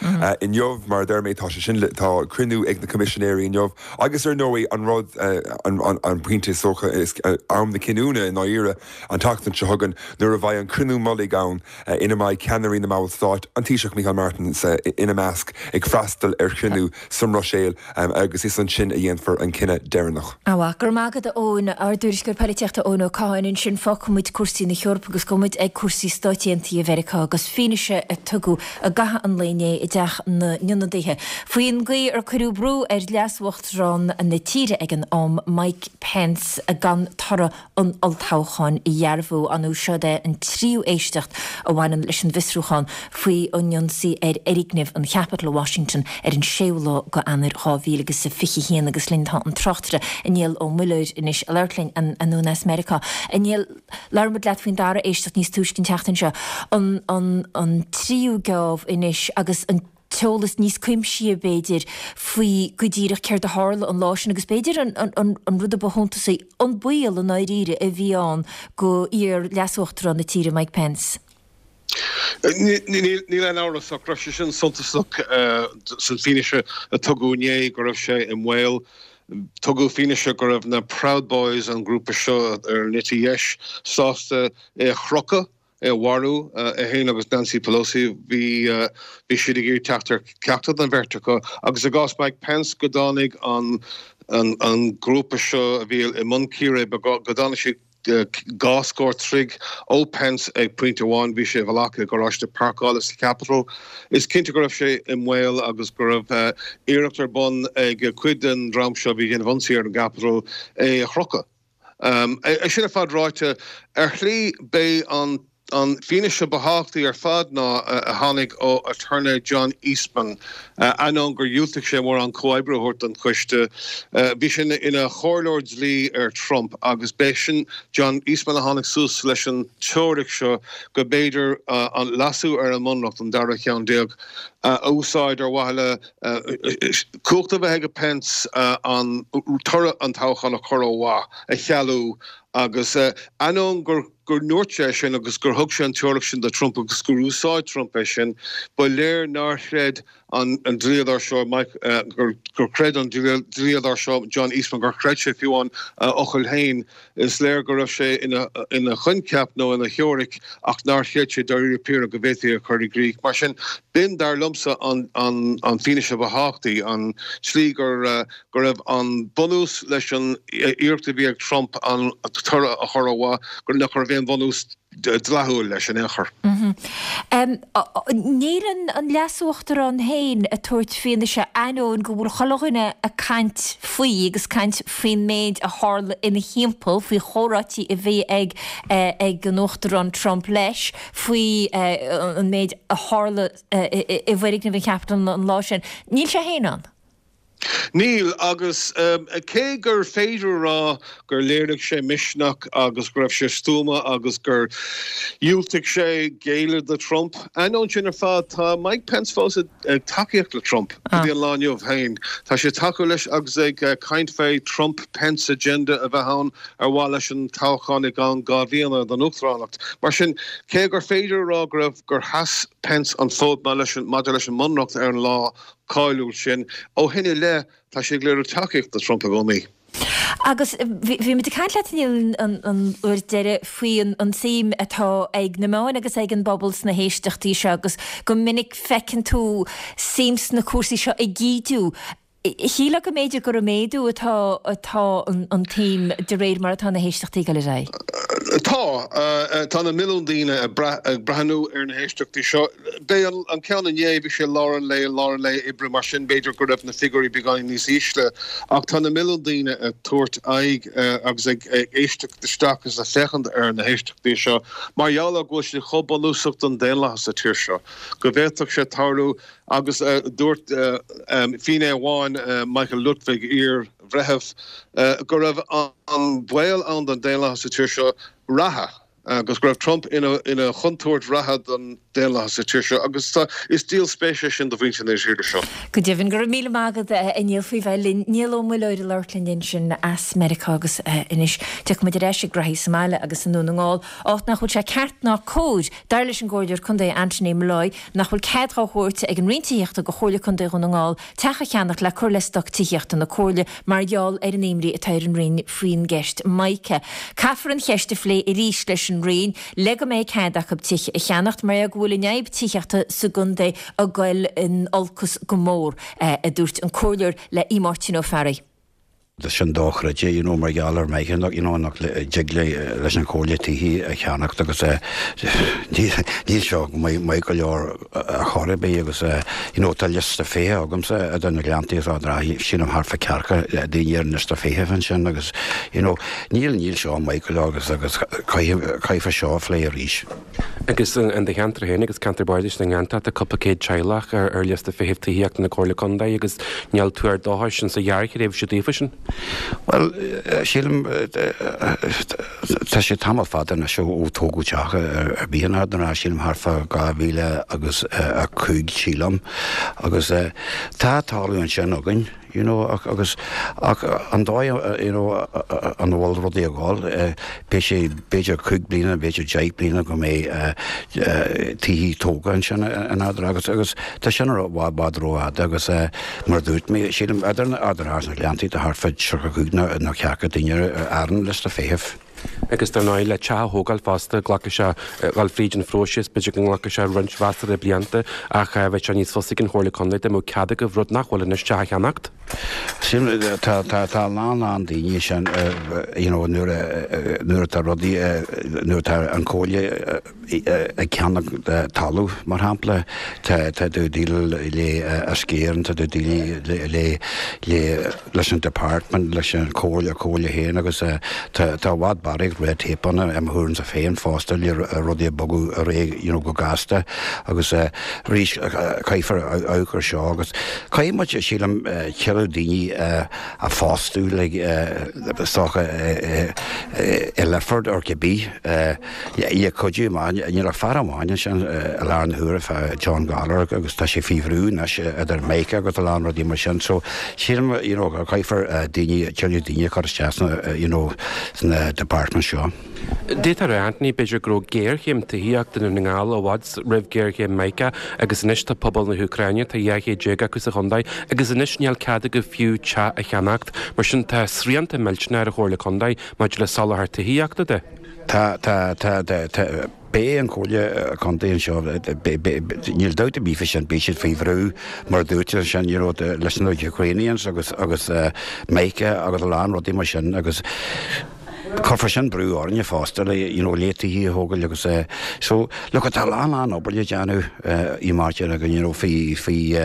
inniu. Mar a deir mé, tá sé sin le tá cruinniú ag na Coimisinéirí inniu agus ar ndóigh an rud an an pointe is dócha is am na cinniúna i ndáiríre, An tseachtain seo chugainn, nuair a bheidh an cruinniú mullaigh ann ina mbeidh ceannairí na mballstát, an Taoiseach Micheál Martin ina measc, ag freastal ar chruinniú sa mBruiséil agus is ansin a dhéanfar an cinneadh deireanach. Go raibh maith agat a Eoin. Ár dtuairisceoir polaitíochta Eoin Ó Catháin ansin. Fágfaidh muid cúrsaí na hEorpa agus gabhfaidh muid ag cúrsaí Stáit Aontaithe Mheiriceá agus fianaise a tugadh i gcaitheamh an lae inné i dTeach na nIonadaithe faoin gcaoi ar cuireadh brú ar leas-uachtarán na tíre ag an am, Mike Pence, gan toradh an olltoghcháin a dhearbhú. An Seod é an tríú éisteacht a bhaineann leis an bhfiosrúchán faoi an ionsaí ar fhoirgneamh an Chaipitil i Washington ar an séú lá go Eanáir 2021 agus linn tá an tráchtaire Niall Ó Muilleoir anois ag labhairt linn anonn as Meiriceá. A Niall, labhair muid leat faoin dara éisteacht níos túisce an tseachtain seo. An an an tríú geábh anois agus an t-eolas níos cuimsithí, b'fhéidir, faoi go díreach céard a tharla an lá sin agus b'fhéidir an rud a ba shuntasaí, an baol i ndáiríre a bhí ann go iar-leasuachtarán na tíre Mike Pence. Níl aon amhras ach go raibh sé sin suntasach san fianaise a tugadh inné go raibh sé i mbaol. Tugadh fianaise go raibh na Proud Boys, an grúpa seo ar an eite dheis, sásta é a chrochadh é a mharú, é féin agus Nancy Pelosi. Bhí bhí siad ag iarraidh teacht ar ceachtar den bheirt acu. Agus i gcás Mike Pence, go dtáinig an an grúpa seo a bhí i mbun círéibe, go dtáinig siad. Dhá scór troigh ó Pence ag pointe amháin. Bhí sé i bhfolach i gcarráiste páirceála sa Capitol. Is cinnte go raibh sé i mbaol agus go raibh iarracht ar bun ag cuid den dream seo a bhí ag déanamh ionsaí ar an gCapitol é a chrochadh. É sin ar fad ráite, ar shlí b'é an an fianaise ba thábhachtaí ar fad ná a tháinig ó aturnae John Eastman. Ainneoin gur dhiúltaigh sé mórán comhoibriú a thabhairt don choiste, bhí sé ina chomhairleoir dlí ar Trump agus b'é sin John Eastman a tháinig suas leis an teoiric seo go mb'fhéidir an leasú ar an mBunreacht, an dara ceann déag, a úsáid ar mhaithe le cumhacht a bheith ag Pence an toradh an toghcháin a chur ó mhaith, a chealú agus ainneoin gur go ndúirt sé sin agus gur thug sé an teoiric sin do Trump agus gur úsáid Trump é sin, ba léir nár chreid an dlíodóir seo, Mike, gur chreid an dlíodóir seo, John Eastman, gur chreid sé fiú amháin a fhocail féin. Is léir go raibh sé ina choincheap nó ina theoiric ach nár chreid sé dáiríre píre go bhféadfaí é a chur i gcrích. Mar sin, b'in, dar liomsa, an fianaise ba thábhachtaí, an tslí gur go raibh an bunús leis an iarracht a bhí ag Trump an toradh a chur ó mhaith, gur nach raibh aon bhunús dleathúil leis in aon chor. Níl an Leas-Uachtarán féin ag tabhairt fianaise ainneoin go bhfuil chuile dhuine ag caint faoi agus caint faoin méid a tharla ina thimpeall, faoi chomhráití a bhí ag ag an Uachtarán Trump leis, faoi an méid a tharla i bhfoirgneamh an Chaipitil an lá sin. Níl sé féin ann. Níl, agus cé gur féidir a rá gur léirigh sé misneach agus go raibh sé stuama agus gur dhiúltaigh sé géilleadh do Trump, ainneoin sin ar fad, tá Mike Pence fós ag tacaíocht le Trump go dtí an lá inniu féin. Tá sé ag tacú leis agus ag caint fé Trump-Pence agenda a bheith ann ar mhaithe leis an toghchán i gceann 2 bhliana don uachtaránacht. Mar sin, cé gur féidir a rá go raibh, gur sheas Pence an fód maidir leis an mbunreacht ar an lá cáiliúil sin. Ó shin i leith, tá sé ag léiriú tacaíocht do Trump i gcónaí. Agus bhí muid ag caint leat Niall an uair deiridh faoi an tsuim atá ag na meáin agus ag an bpobal sna héisteachtaí seo agus go minic feiceann tú suim sna cúrsaí seo ag ídiú. Shílfeá go mb'fhéidir gur ag méadú atá atá an tsuim de réir mar atá na héisteachtaí ag dul ar aghaidh. Tá. Tá na milliúin daoine ag breathnú ar na héisteachtaí seo. B'é an ceann inné, bhí sé lár an lae, lár an lae oibre, mar sin b'fhéidir go raibh na figiúirí beagáinín níos ísle. Ach tá na milliúin daoine ag tabhairt aghaidh agus ag éisteacht isteach agus ag féachaint ar na héisteachtaí seo mar gheall ar go bhfuil siad chomh bunúsach don daonlathas sa tír seo go bhféadfadh sé tarlú Agus dúirt finné amháin, Michael Luttig, iar-bhreitheamh, go raibh an baol ann don daonlathas sa tír seo reatha agus go raibh Trump ina chontúirt reatha don daonlathas sa tír seo agus is díol spéise é sin do mhuintir na tíre seo. Go deimhin. Go raibh míle maith agat, a Niall, faoi bheith linn. Niall Ó Muilleoir ag labhairt linn ansin as Meiriceá agus anois tiocfaidh muid ar ais ag graithí sa mbaile agus i nDún na nGall, áit nach bhfuil sé ceart ná cóir, dar leis an gComhairleoir Contae Anthony Molloy, nach bhfuil cead dhá thabhairt ag an Roinn Tithíochta go Chomhairle Contae Dhún na nGall teach a cheannacht le cur le stoc tithíochta na Comhairle mar gheall ar an imní atá ar an Roinn faoin gceist Mica. Caithfear an cheist a phlé arís leis an Roinn le go mbeidh cead acu tithe a cheannacht mar go bhfuil an fhadhb tithíochta sa gcontae ag goil in olcas go mór, a dúirt an Comhairleoir le Aodh Máirtín Ó Fearraigh. Tá sin dochreidte, you know, mar gheall ar Mica, you know, nach dtig leis an Chomhairle tithe a cheannacht agus níl seo maith go leor ar chor ar bith agus you know, tá liosta feithimh agamsa idir na Gleanntaí agus Ard an Rátha, sílim thart fá ceathracha daoine ar an liosta feithimh ansin agus you know, níl, níl seo maith go leor agus agus caithfear seo a phlé arís. Agus in do cheantar féin agus ceantar bardais na nGleanntach tá cúpla céad teaghlach ar liosta feithimh tithíochta na Comhairle Contae agus níl tuar dóchais insa ghearrthréimhse daofa sin. Bhuel, sílim, tá sé tamall fada anois ó tógadh teach ar bith in Ard an Rátha, sílim thart fá 2005 sílim, agus tá talamh ansin againn. you know ach agus ach an dóigh you know an bhfuil rudaí ag dul beidh sé b'fhéidir 5 bliana b'fhéidir 10 bliana go mbeidh tithe tógtha ansin in Ard an Rátha agus agus tá sin i bhfad bhfad rófhada agus mar a dúirt mé sílim idir Ard an Rátha agus na Gleanntaí tá thart fá 35 nó 40 duine ar an liosta feithimh. Agus dar ndóigh, le teach a thógáil fosta, glacfaidh sé, dhul fríd an phróiseas, b'fhéidir go nglacfaidh sé roinnt mheasartha blianta ach bheadh sé níos fusa ag an Chomhairle Contae dá mbeadh cead agaibh rud nach bhfuil anois, teach a cheannacht. Sin, tá, tá, tá a lán, lán daoine sin, you know, nuair a, nuair atá rudaí, nuair atá an Chomhairle ag ceannach talamh, mar shampla, tá, tá tú ag déileáil le Uisce Éireann, tá tú ag déileáil le, le, leis an department, leis an chomhairle, comhairle féin agus tá, tá i bhfad barraíocht red tape ann i mo thuairimse féin fosta le rudaí a bogadh ar aghaidh, you know, go gasta agus arís caithfear amharc ar seo agus caithfidh muid, sílim, tuilleadh daoine a phostú like is dócha i Lifford or cibé. Le cuidiú amach, níl ach fear amháin ansin i láthair na huaire, John Gallagher, agus tá sé faoi bhrú anois idir Micah agus a lán rudaí mar sin. So sílim you know go caithfear daoine, tuilleadh daoine a chur isteach sna you know sna departments seo. D'fhéadfá a rá, Anthony, b'fhéidir go raibh géarchéim tithíochta i nDún na nGall i bhfad roimh ghéarchéim Micah agus anois tá pobal na hÚcráine, tá 12 chéad acu sa chontae agus anois níl cead acu fiú teach a cheannacht. Mar sin tá srianta millteanna ar an Chomhairle Contae maidir le soláthar tithíochta de. Tá, tá, tá, tá, beidh an Chomhairle Contae anseo, níl dabht ar bith faoi sin, beidh siad faoi bhrú, mar a dúirt tú ansin, you know, leis na Ukrainians agus, agus Micah agus a lán rudaí mar sin agus cuirfear sin brú orainne fosta le, you know, le tithe a thógáil agus so, look, tá a lán, lán obair le déanamh i Máirtín againn, you know, faoi, faoi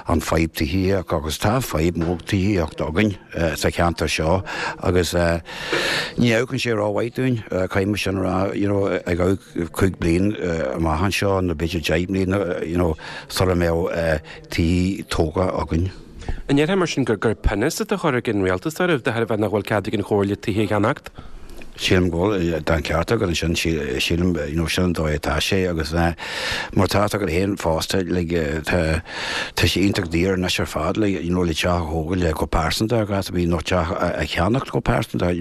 an fadhb tithíochta agus tá fadhb mór tithíochta againn sa cheantar seo agus Ní amharcann sé rómhaith dúinn, caithfidh mé sin a rá, you know, ag amharc 5 bliain amach anseo nó b'fhéidir 10 mbliana, you know, sula mbeadh tithe tógtha againn. An ndéarfá mar sin gur pionós atá á chur ag an rialtas oraibh de thairbhe nach bhfuil cead ag an Chomhairle tithe a cheannacht? Sílim go bhfuil, tá an ceart agat ansin, sílim, you know, sin an dóigh atá sé agus mar tá fhios agat féin fosta, like, tá, tá sé iontach daor anois ar fad, like, you know, le teach a thógáil go pearsanta ar ghas a bhí nó teach a cheannacht go pearsanta,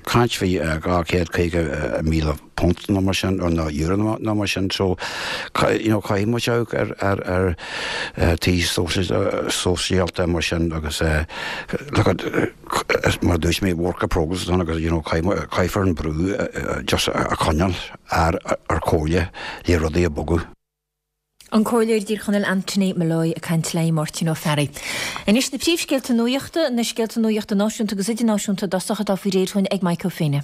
caint faoi £250,000 punt nó mar sin, nó euro nó mar sin, so, you know, caithfidh muid amharc ar, ar, ar tithe sóisialta mar sin agus, look at, mar a dúirt mé, work in progress atá ann agus, you know, caithfear an brú just a choinneáil ar ar Chomhairle le rudaí a bhogadh. An Comhairleoir i dTír Chonaill Anthony Molloy ag caint le Máirtín Ó Fearraigh. Anois na príomhscéalta nuachta, na scéalta nuachta náisiúnta agus idirnáisiúnta i dtosach atá faoi réir dhúinn ag Mike Ó Fiaine.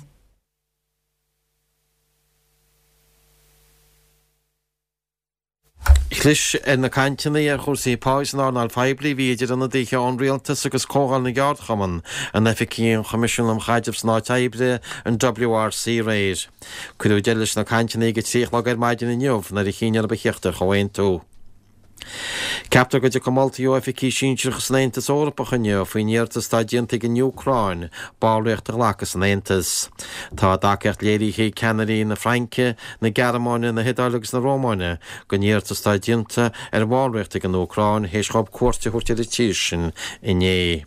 Chlis ar na cainteanna ar chúrsaí pá san earnáil phoiblí a bhí idir ionadaithe ón Rialtas agus Comhdháil na gCeardchumann in oifigí an Choimisiúin um Chaidreamh san Áit Oibre, an WRC, aréir. Cuireadh deireadh leis na cainteanna ag a 3 a chlog ar maidin inniu nuair a chinn orthu a thíocht ar chomhaontú. Ceaptar go dtiocfaidh moltaí ó oifigigh sinsearacha san Aontas Eorpach inniu faoin iarratas atá déanta ag an Úcráin ballraíocht a ghlacadh san Aontas. Tá a dtacaíocht léirithe ag ceannairí na Fraince, na Gearmáine, na hIodáile agus na Rómáine don iarratas atá déanta ar bhallraíocht ag an Úcráin théis dhóibh cuairt a thabhairt ar an tír sin inné.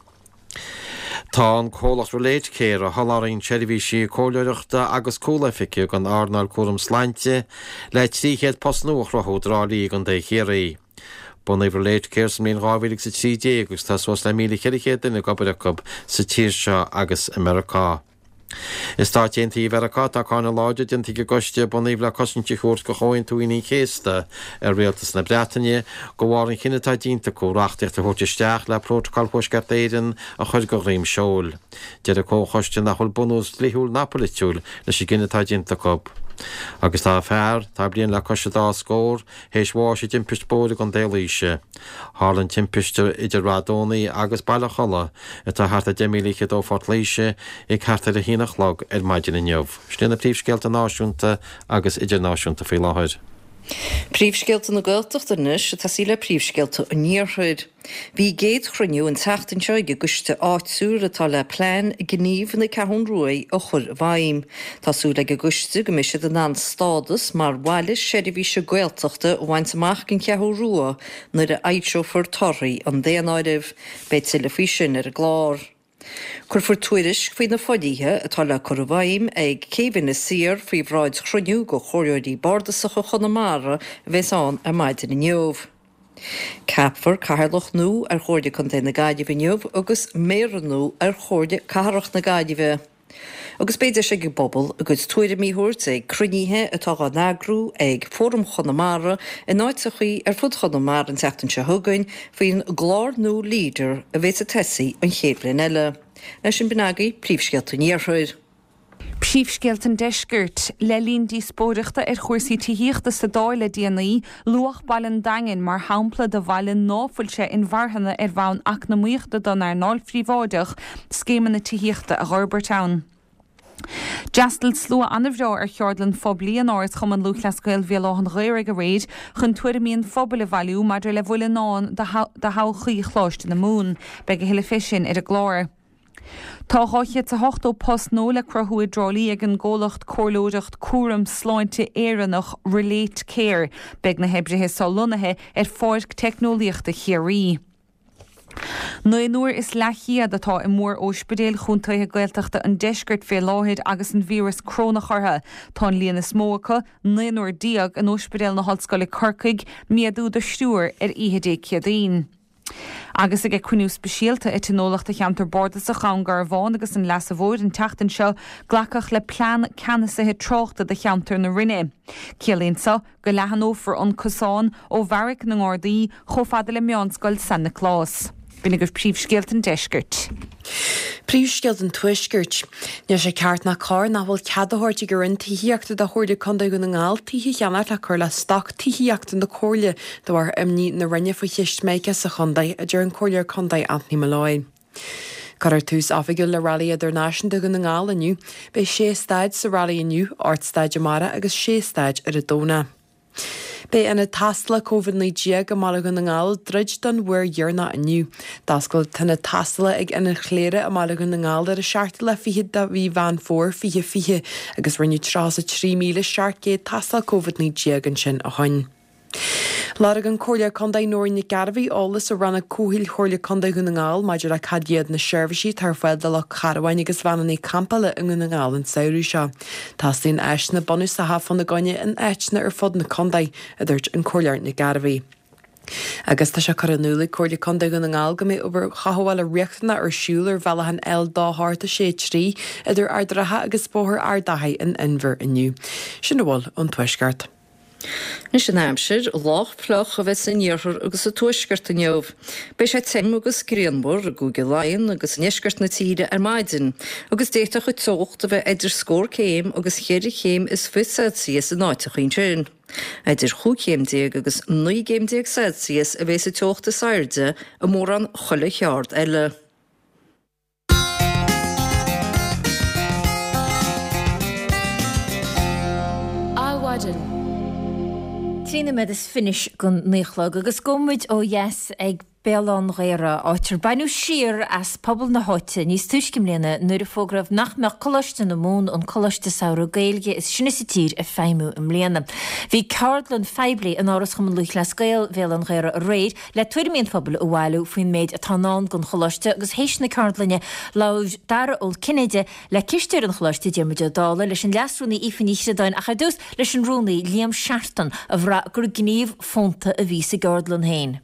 Tá an comhlacht Relate Care, a sholáthraíonn seirbhísí comhairleoireachta agus cúloifige don earnáil cúram sláinte, le 300 post nua a chruthú i dTrá Lí i gContae Chiarraí. Bunaíodh Relate Care sa mbliain 2013 agus tá suas le 1,400 duine ag obair acu sa tír seo agus i Meiriceá. I Stáit Aontaithe Mheiriceá, tá cáineadh láidir déanta ag an gcoiste a bunaíodh le cosaint a thabhairt do Chomhaontú Aoine an Chéasta ar Rialtas na Breataine de bharr an chinnidh atá déanta acu reachtaíocht a thabhairt isteach le Prótacal Thuaisceart Éireann a chur de dhroim seoil. Deir an Comhchoiste nach bhfuil bunús dlíthiúil ná polaitiúil leis an gcinneadh atá déanta acu. Agus tá fear, atá bliain le cois an dá scór, théis bháis i dtimpist bóthair i gContae Laoise. Tharla an timpiste idir Rath Dónaí agus Baile Cholla, atá thart ar deich míle fhichead ó Phort Laoise, ag thart ar a haon a chlog ar maidin inniu. Sin iad na príomhscéalta náisiúnta agus idirnáisiúnta faoi láthair. Príomhscéalta na Gaeltachta anois ag tosaí le príomhscéalta an Iarthair. Bhí a gcéad chruinniú an tseachtain seo ag an gcoiste áitiúil atá le plean gnímh na Ceathrún Ruaidh a chur i bhfeidhm. Tá súil ag an gcoiste go mbeidh siad in ann stádas mar bhaile seirbhíse Gaeltachta a bhaint amach don Cheathrú Rua nuair a fhoilseofar torthaí an daonáirimh. Beidh tuilleadh faoi sin ar an gclár. Cuirfear tuairisc faoi na fodhlíthe atá le cur i bhfeidhm ag Céibh Inis Oírr faoi bhráid chruinniú de Chomhairleoirí Bardasacha Chonamara a bheas ann ar maidin inniu. Ceapfar Cathaoirleach nua ar Chomhairle Contae na Gaillimhe inniu agus Méara nua ar Chomhairle Cathrach na Gaillimhe. Agus beidh deis ag an bpobal a gcuid tuairimí a thabhairt ag cruinnithe atá á n-eagrú ag Fóram Chonamara in áiteachaí ar fud Chonamara an tseachtain seo chugainn faoin gclár nua Leader a bheas ag tosaí an chéad bhliain eile. Leis sin b'in agaibh príomhscéalta an Iarthair. Príomhscéalta an Deiscirt. Le linn díospóireachta ar chúrsaí tithíochta sa Dáil le déanaí, luadh baile an Daingin mar shampla de bhaile ná fuil sé inmharthana ar bhonn eacnamaíochta don earnáil phríobháideach scéimeanna tithíochta a dh'fhorbairt ann. D'fhreastail slua an-bhreá ar cheardlann phoiblí in Áras Chumann Lúthchleas Gael Bhéal Átha an Ghaorthaidh aréir chun tuairimí an phobail a bhailiú maidir le bhfuil i ndán do thodhchaí Choláiste na Mumhan. Beidh a thuilleadh fé sin ar an gclár. Tá 280 post nua le cruthú i dTrá Lí ag an gcomhlacht comhairleoireacht cúram sláinte Éireannach Relate Care. Beidh na hoibrithe so lonnaithe ar Pháirc Teicneolaíochta Chiarraí. Naonúr is leathchéad atá i mór-óispidéil chontaetha Gaeltachta an deiscirt fé láthair agus an víreas crónach orthu. Tá an líon is mó acu, naonúr déag, in Óispidéal na hOllscoile Corcaigh, méadú de thriúr ar oíche Dé Céadaoin. Agus ag cruinniú speisialta a tionóladh do cheantar bardasach Dhún Garbhán agus an Leasa Mhóir an tseachtain seo, glacadh le plean ceannasaithe tráchta do cheantar na Rinne. Ciallaíonn so go leathanófar an cosán ó Bheairic na nGardaí chomh fada le Meánscoil San Nioclás. B'in agaibh príomhscéalta an deiscirt. Príomhscéalta an Tuaiscirt. Níl sé ceart ná cóir nach bhfuil cead á thabhairt ag an Roinn Tithíochta do Chomhairle Contae Dhún na nGall tithe a cheannacht le cur le stoc tithíochta na Comhairle de bharr imní na Roinne faoi cheist Mica sa chontae, a deir an Comhairleoir Contae Anthony Molloy. Cuirfear tús oifigiúil le Railí Idirnáisiúnta Dhún na nGall inniu. Beidh sé staid sa railí inniu, 8 staid amárach agus sé staid ar an Domhnach. Beidh ionad tástála Covid-19 i mBaile Dhún na nGall ag druid don uair dheireanach inniu. D'oscail an t-ionad tástála ag Ionad Chléire i mBaile Dhún na nGall ar an seachtú lá fichead de mhí Mheán Fómhair 2020 agus rinneadh 33,700 tástáil Covid-19 ansin ó shin. Lorg an Comhairleoir Contae Nóirín Nic Gairbheith eolas ó Rannóg Comhshaoil Chomhairle Contae Dhún na nGall maidir le cad iad na seirbhísí atá ar fáil do lucht carbháin agus veaineanna campála i nDún na nGall an samhradh seo. Teastaíonn áiseanna bunúsacha fána gcoinne in áiteanna ar fud na contae, a dúirt an Comhairleoir Nic Gairbheith. Agus tá sé curtha in iúl ag Comhairle Contae Dhún na nGall go mbeidh obair chothabhála riachtanach ar siúl ar bhealach an L2863 idir Ard an Rátha agus Bóthar Ard Achaidh in Inbhir inniu. Sin a bhfuil ón Tuaisceart. Anois an aimsir, lách fliuch a bheidh san iarthar agus sa tuaisceart inniu. Beidh sé tirim agus grianmhar i gCúige Laighean agus i ndeisceart na tíre ar maidin, agus d'fhéadfadh an teocht a bheith idir scór céim agus cheithre chéim is fiche Celsius in áiteacha ansin. Idir chúig chéim déag agus 19 gcéim Celsius a bheas an teocht is airde i mórán chuile cheard eile. Adhmhaidin. 3 nóiméad is fiche don 9 a chlog agus gabhfaidh muid ó dheas ag Béal Átha an Ghaorthaidh, áit ar baineadh siar as pobal na háite níos túisce i mbliana nuair a fógraíodh nach mbeadh Coláiste na Mumhan, an coláiste samhraidh Gaeilge is sine sa tír, ag feidhmiú i mbliana. Bhí ceardlann phoiblí in Áras Chumann Lúthchleas Gael Bhéal Átha an Ghaorthaidh aréir le tuairimí an phobail a bhailiú faoin méid atá i ndán don Choláiste agus théis na ceardlainne labhair Dara Ó Cinnéide le cisteoir an Choláiste, Diarmuid Ó Dálaigh, leis an Leas-Rúnaí Aoife Ní Chríodáin ach ar dtús leis an Rúnaí, Liam Seartan, a bhraith gur gníomh fónta a bhí sa gceardlann féin.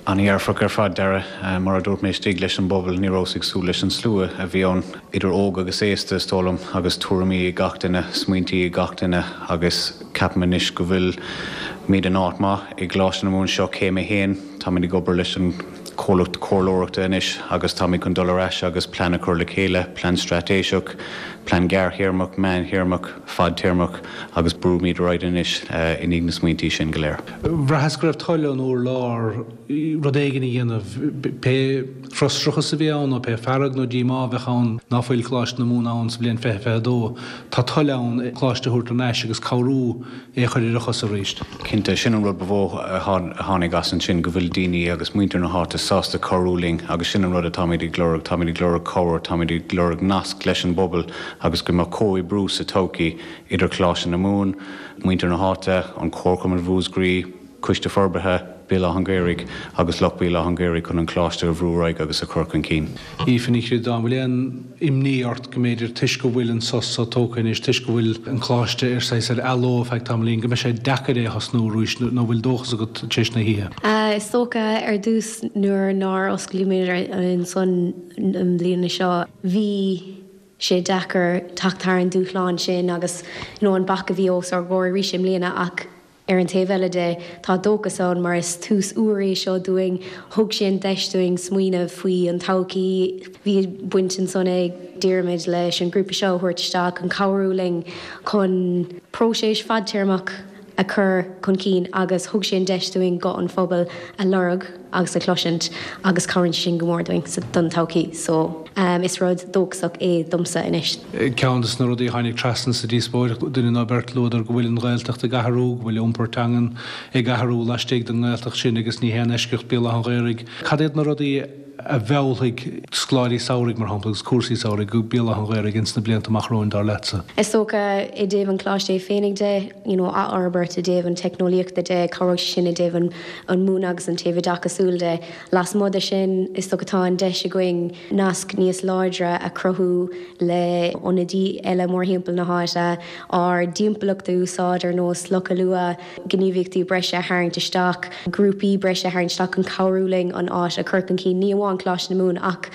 An-dhearfach ar fad, Dara. Mar a dúirt mé istigh leis an bpobal, ní rabhas ag súil leis an slua a bhí ann, idir óg agus aosta, is dóigh liom, agus tuairimí ag gach duine, smaointí ag gach duine agus Ceapaim anois go bhfuilimid in áit maith i gColáiste na Mumhan. Seo céim a haon. Táimid ag obair leis an chomhlacht comhairleoireachta anois agus táimid chun dul ar ais agus plean a chur le chéile, plean straitéiseach, plean gearrthéarmach, meántéarmach, fadtéarmach agus brúimid ar aghaidh anois i ndiaidh na smaointí sin go léir. Bhraitheas go raibh toil ón urlár rud éigin a dhéanamh, pé frustrachas a bhí ann nó pé fearg nó díomá a bheadh ann ná fuil Coláiste na Mumhan ann sa bhliain 2022. Tá toil ann an coláiste a thabhairt thar n-ais agus cabhrú é a chur ar a chosa arís. Cinnte, sin an rud ba mhó a tháinig as ansin, go bhfuil daoine agus muintir na háite sásta cabhrú linn agus sin an rud atáimid ag lorg, táimid ag lorg cabhair, táimid ag lorg nasc leis an bpobal agus go mbeadh comhoibriú sa todhchaí idir Coláiste na Mumhan, muintir na háite, an Comharchumann Mhúscraí, Coiste Forbartha Bhéal Átha an Ghaorthaidh agus lucht Bhéal Átha an Ghaorthaidh chun an Coláiste a bhrú ar aghaidh agus a chur chun cinn. Aoife Ní Chríodáin, An bhfuil aon imní ort go mb'fhéidir toisc go bhfuil an sos so tógtha anois, toisc go bhfuil an Coláiste ar saghas ar athló ar feadh tamaillín, go mbeidh sé deacair é a thosnú arís nó an bhfuil dóchas agat tar éis na hoíche? Is dócha ar dtús nuair nár osclaíomar ansan i mbliana seo bhí. sé deacair teacht thar an dúshlán sin agus you know an bac a bhí os ár gcomhair arís i mbliana ach ar an taobh eile de tá dóchas ann mar is tús úr é seo dúinn, thug sé an deis dúinn smaoineamh faoi an todhchaí, bhí baint ansan ag Diarmuid leis an grúpa seo a thabhairt isteach chun cabhrú linn chun próiseas fadtéarmach a chur chun cinn agus thug sé an deis dúinn guth an phobail a lorg agus a chloisint agus cabhraíonn sé sin go mór dúinn don todhchaí so is rud dóchasach é domsa anois. Ceann de na rudaí a tháinig trasna sa díospóireacht, duine nó beirt, luadar go bhfuil an Ghaeltacht ag athrú, go bhfuil iompar teangan ag athrú laistigh den nGaeltacht sin agus ní haon eisceacht Béal Átha an Ghaorthaidh. Cad iad na rudaí a mheallfaidh scoláirí samhraidh, mar shampla, agus cúrsaí samhraidh go Béal Átha an Ghaorthaidh ins na blianta amach romhainn, dar leatsa? Is dócha, i dtaobh an choláiste é féinig de, you know, athfhorbairt i dtaobh an teicneolaíochta de, cabhróidh sé sin i dtaobh an an múineadh agus an taobh oideachasúil de. Lasmuigh de sin, is dócha tá an deis againn nasc níos láidre a chruthú le ionadaí eile mórthimpeall na háite, ár dtimpeallacht a úsáid ar nós Loch Allua, gníomhaíochtaí breise a tharraingt isteach, grúpaí breise a tharraingt isteach chun cabhrú linn an áit a chur chun cinn, ní amháin Coláiste na Mumhan ach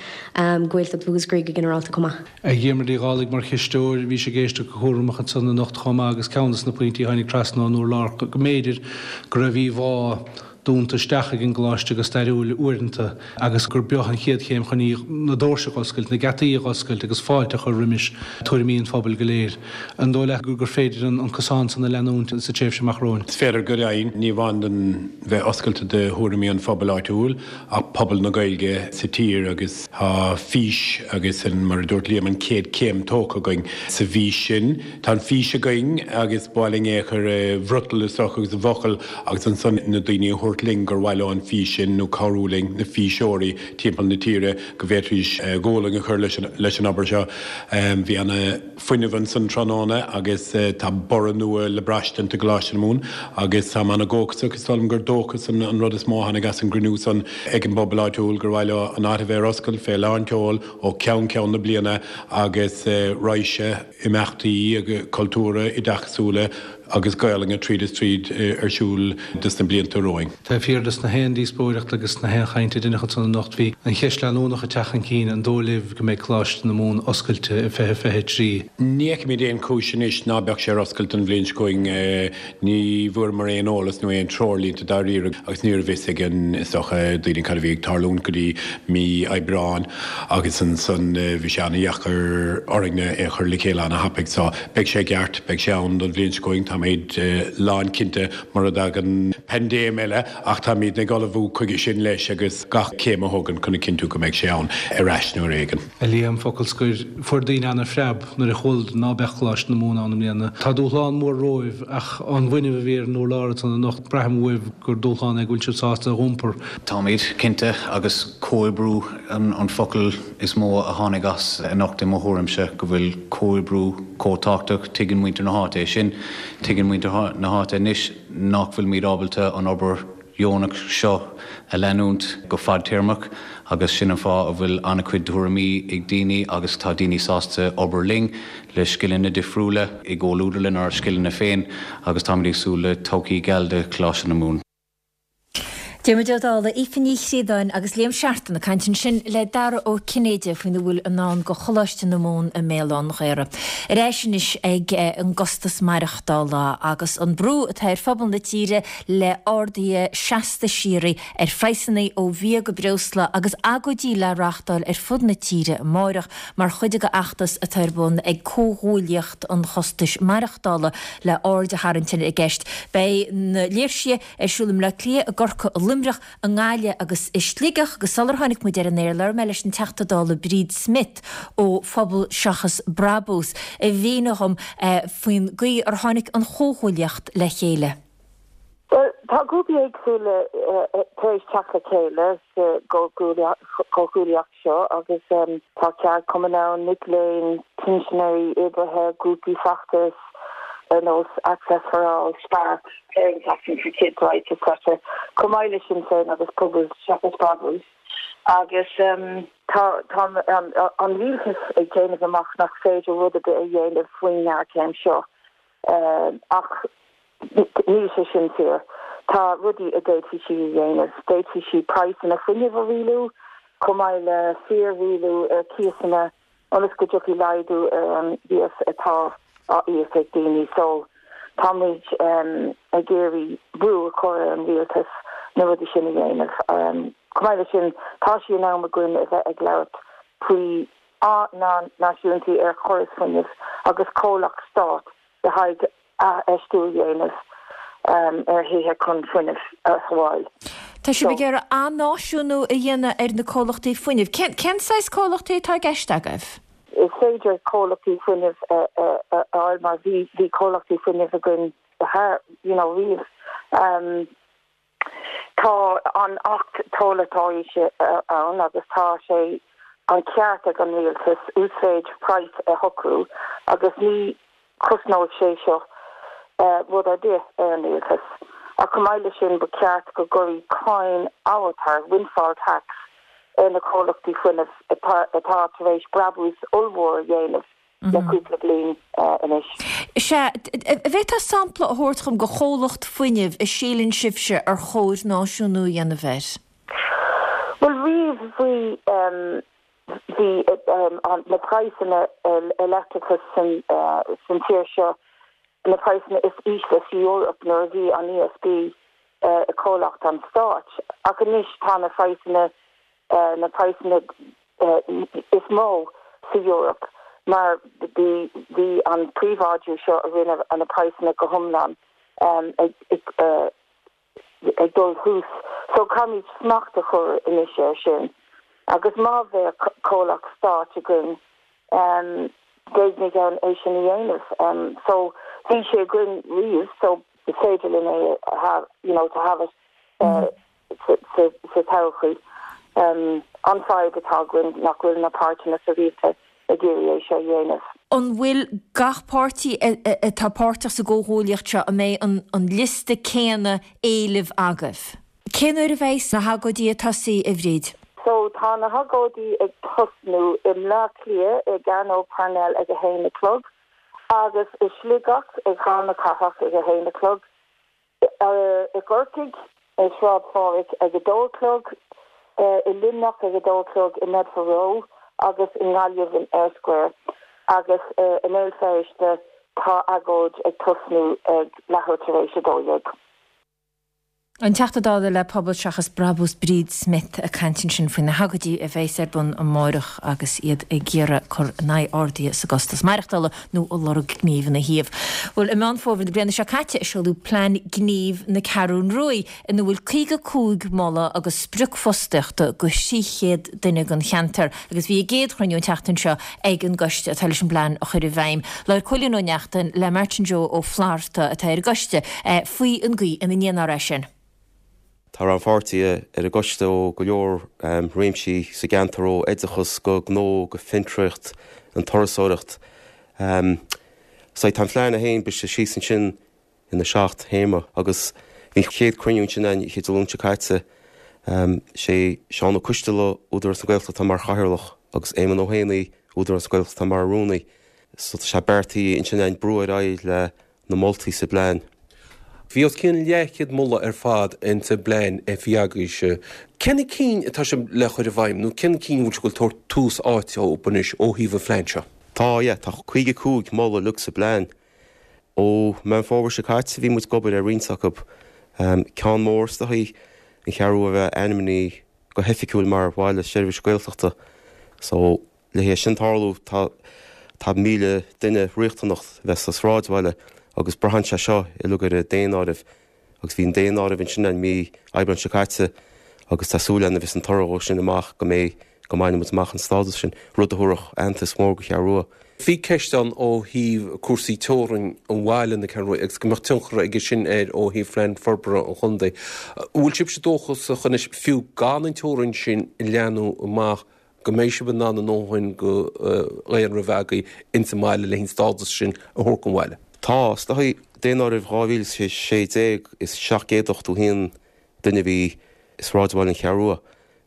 Gaeltacht Mhúscraí go ginearálta chomh maith. A Dhiarmuid Uí Dhálaigh, mar chisteoir, bhís ag éisteacht go cúramach ansan anocht chomh maith agus ceann des na pointí a tháinig trasna ón urlár go mb'fhéidir go raibh íomhá dúnta isteach ag an gcoláiste go stairiúil uaireanta agus gur b'eo an chéad chéim chun í na doirse a dh'oscailt, na geataí a dh'oscailt agus fáilte a chur roimis tuairimí an phobail go léir. An dóigh leat gur féidir an cosán san a leanúint sa tréimhse amach romhainn? Is féidir go deimhin, ní amháin don bheith oscailte do thuairimí an phobail áitiúil ach pobal na Gaeilge sa tír agus tá fís agus mar a dúirt Liam an chéad chéim tógtha againn sa bhfís sin. Tá an fís againn agus ba mhaith linn é a chur i bhfriotal is dócha agus i bhfocail agus ansan na daoine a thabhairt linn gur mhaith leo an fís sin nó cabhrú linn, na físeoirí timpeall na tíre go bhféadfaidís gualainn a chur leis an obair seo. Bhí ana fuinneamh ansan tráthnóna agus tá borradh nua le braistint i gColáiste na Mumhan agus táim ana dhóchasach. Is dóigh liom gur dóchas an rud is mó a tháinig as an gcruinniú san ag an bpobal áitiúil gur mhaith leo an áit a bheith ar oscailt fé lán tseoil ó cheann ceann na bliana agus raidhse imeachtaí cultúrtha, oideachasúla agus Gaolainne tríd is tríd ar siúl dos na blianta romhainn. Taobh thiar des na haon díospóireacht agus na haon chaint a deineadh ansan anocht bhí an cheist leanúnach ag teacht chun cinn, an dóigh libh go mbeidh Coláiste na Mumhan oscailte i 2023? Ní fheicimid aon chúis anois ná beadh sé ar oscailt an bhliain seo chugainn. Ní bhfuaireamar aon eolas nó aon treoirlínte dáiríre agus ní raibh fhios ag an, is dócha, daoine cad a bhí ag tarlúint go dtí mí Aibreáin agus ansan bhí sé ana-dheacair orainne é a chur le chéile ana-thapaidh. So, beidh sé i gceart, beidh sé ann don bhliain seo chugainn, táimid lánchinnte mura dtagann paindéim eile ach táimid ag ullmhú chuige sin leis agus gach céim a thógaint chun a chinntiú go mbeidh sé ann ar ais nuair éigin. A Liam, focal scoir, fuair daoine ana-phreab nuair a chualadar ná beadh Coláiste na Mumhan ann i mbliana. Tá dúshlán mór romhaibh ach an bhfuinneamh a bhí ar an urlár ansan anocht, braithim uaibh gur dúshlán é go bhfuil sibh sásta a dh'iompar. Táimid, cinnte, agus comhoibriú an focal is mó a tháinig as anocht i mo thuairimse, go bhfuil comhoibriú chomh tábhachtach. Tuigeann muintir na háite é sin. Tuigeann muintir na háite anois nach bhfuilimid ábalta an obair dheonach seo a leanúint go fadtéarmach agus sin an fáth a bhfuil an-chuid tuairimí ag daoine agus tá daoine sásta obair linn le scileanna difriúla i gcomhluadar lenár scileanna féin agus táimid ag súil le todhchaí geal do Choláiste na Mumhan. Diarmuid Ó Dálaigh, Aoife Ní Chríodáin agus Liam Seartan ag caint ansin le Dara Ó Cinnéide faoina bhfuil i ndán do Choláiste na Mumhan i mBéal Átha an Ghaorthaidh. Ar ais anois ag an gcostas maireachtála agus an brú atá ar phobal na tíre le arduithe seasta síoraí ar phraghsanna ó bhia go breosla agus agóidí le reáchtáil ar fud na tíre amáireach mar chuid de fheachtas atá ar bun ag Comhghuaillíocht an Chostais Maireachtála le aird a tharraingt ar an gceist. Beidh na léirsithe ar siúl i mBleá Cliath, i gCorcaigh, i Luimneach, i nGaillimh agus i Sligeach agus sular tháinig muid ar an aer labhair mé leis an Teachta Dála Bríd Smith ó Phobal Seachas Brabús a mhínigh dhom faoin gcaoi ar tháinig an chomhghuaillíocht le chéile. Bhuel, tá grúpaí éagsúla tar éis teacht le chéile sa gcomhghuaillíocht seo agus tá ceardchumainn ann, mic léinn, pinsinéirí, oibrithe, grúpaí feachtais ar nós Access for All, Spark, Parents Acting for Kids Rights etc. Chomh maith le Sinn Féin agus Pobal Seachas Brabús. Agus tá an rialtas ag déanamh amach nach féidir rud ar bith a dhéanamh faoin ngéarchéim seo. Ach níl sé sin fíor. Tá rudaí a d'fhéadfaí siad a dhéanamh. D'fhéadfaí siad praghsanna fuinnimh a rialú, chomh maith le fíor-rialú ar chíosanna. ionas go dtiocfaidh laghdú ar an gcíos atá á íoc ag daoine. So tá muid ag iarraidh brú a chur ar an rialtas na rudaí sin a dhéanamh. Chomh maith leis sin, tá sé in am againn a bheith ag labhairt faoi athnáisiúntú ar chóras fuinnimh agus comhlacht stáit le haghaidh athfheistiú a dhéanamh ar thithe chun fuinneamh a shábháil. Tá sibh ag iarraidh athnáisiúnú a dhéanamh ar na comhlachtaí fuinnimh. Cén saghas comhlachtaí atá i gceist agaibh? Is féidir comhlachtaí fuinnimh a fháil mar bhí comhlachtaí fuinnimh againn thar, you know, riamh. Tá an Acht Tomhaltóirí ann agus tá sé an ceart ag an rialtas uasmhéid praghas a shocrú agus ní chosnóidh sé seo rud ar bith ar an rialtas. Ach chomh maith leis sin ba cheart go gcuirfí cáin amhantair, windfall tax, ar na comhlachtaí fuinnimh atá tar éis brabús ollmhór a dhéanamh le cúpla bliain anois. Sea, an bhféadfá sampla a thabhairt dhom de chomhlacht fuinnimh a síleann sibhse ar chóir náisiúnú a dhéanamh air? Bhuel, riamh bhí bhí na praghsanna ar leictreachas san tír seo na praghsanna is ísle sa Eoraip nuair a bhí an ESB i comhlacht an stáit. Ach anois tá na praghsanna na praghsanna is mó sa Eoraip mar bhí bhí an príobháidiú seo a rinne na praghsanna go hiomlán ag ag dul suas. So caithfimid smacht a chur anois air sin agus má bheadh comhlacht stáit againn d'fhéadfaimid é sin a dhéanamh. So bhí sé againn riamh so is féidir linn é a you know to have it sa todhchaí. An fadhb atá againn nach bhfuil na páirtithe sa rialtas ag iarraidh é seo a dhéanamh. An bhfuil gach páirtí atá páirteach sa gcomhghuaillíocht seo, an mbeidh an liosta céanna éileamh agaibh? Cén uair a bheidh na hagóidí ag tosaí, a Bhríd? So tá na hagóidí ag tosnú i mBleá Cliath i gCearnóg Parnell ag a haon a chlog agus i Sligeach ag Halla na Cathrach ag a haon a chlog. I gCorcaigh, i Sráid Phádraig ag a dó a chlog, i Luimneach ag a dó a chlog i Bedford Row agus i nGaillimh in Eyre Square agus i mBéal Feirste tá agóid ag tosnú ag leathuair tar éis 12. An Teachta Dála le Pobal Seachas Brabús Bríd Smith ag caint ansin faoi na hagóidí a bheas ar bun amárach agus iad ag iarraidh cur in aghaidh arduithe sa gcostas maireachtála nó ag lorg gnímh ina thaobh. Bhuel, i Meán Fómhair na bliana seo caite a seoladh Plean Gnímh na Ceathrún Ruaidh ina bhfuil 55 moladh agus sprioc fostaíochta do 300 duine don cheantar agus bhí a gcéad chruinniú an tseachtain seo ag an gcoiste atá leis an bplean a chur i bhfeidhm. Labhair Cóilín Ó Neachtain le Martin Joe Ó Flatharta atá ar an gcoiste faoi an gcaoi ina ndéanfar é sin. Tá rannpháirtithe ar an gcoiste ó go leor réimsí sa gceantar, ó oideachas go gnó go fiontraíocht, an turasóireacht. So tá an phlean é féin briste síos ansin ina sheacht théama agus bhí an chéad cruinniú ansin an oíche Dé Luain seo caite. Sé Seán Ó Coistealbha, Údarás na Gaeltachta atá mar chathaoirleach agus Éamon Ó hÉanaí, Údarás na Gaeltachta atá mar rúnaí. So tá sé beartaithe ansin againn brú ar aghaidh le na moltaí sa bplean. Bhí os cionn leathchéad moladh ar fad ins an bplean a bhí agaibhse. Cé na cinn atá sibh le chur i bhfeidhm nó cé na cinn a bhfuil sibh ag tabhairt tús áite dóibh anois ó thaobh an phlean seo? Tá, yeah, tá 55 moladh uilig sa bplean. Ó Meán Fómhair seo caite bhí muid ag obair ar roinnt acu. Ceann mór is dóichí, an Cheathrú Rua a bheith ainmnithe go hoifigiúil mar bhaile seirbhíse Gaeltachta. So, Le hé sin tarlú, tá tá 1,000 duine riachtanach a bheith sa sráidbhaile agus braitheann sé seo uilig ar an daonáireamh agus bhí an daonáireamh ansin i mí Aibreáin seo caite agus tá súil againn nuair a bheas an toradh dhó sin amach go mbeidh go mbainfidh muid amach an stádas sin, rud a thabharfadh aitheantas mór go Cheathrú Rua. Bhí ceist ann ó thaobh cúrsaí teorainn an bhaile na Ceathrún Rua agus go mbeadh tionchar aige sin air ó thaobh phlean forbartha an chontae. An bhfuil sibhse dóchasach anois, fiú gan an teorainn sin a leathnú amach, go mbeidh sibh in ann a ndóthain de dhaonra a bheith agaibh ins an mbaile le an stádas sin a thabhairt don bhaile. Tá. Is dóichí, Daonáireamh 2016 is 781 duine a bhí i sráidbhaile an Cheathrú Rua.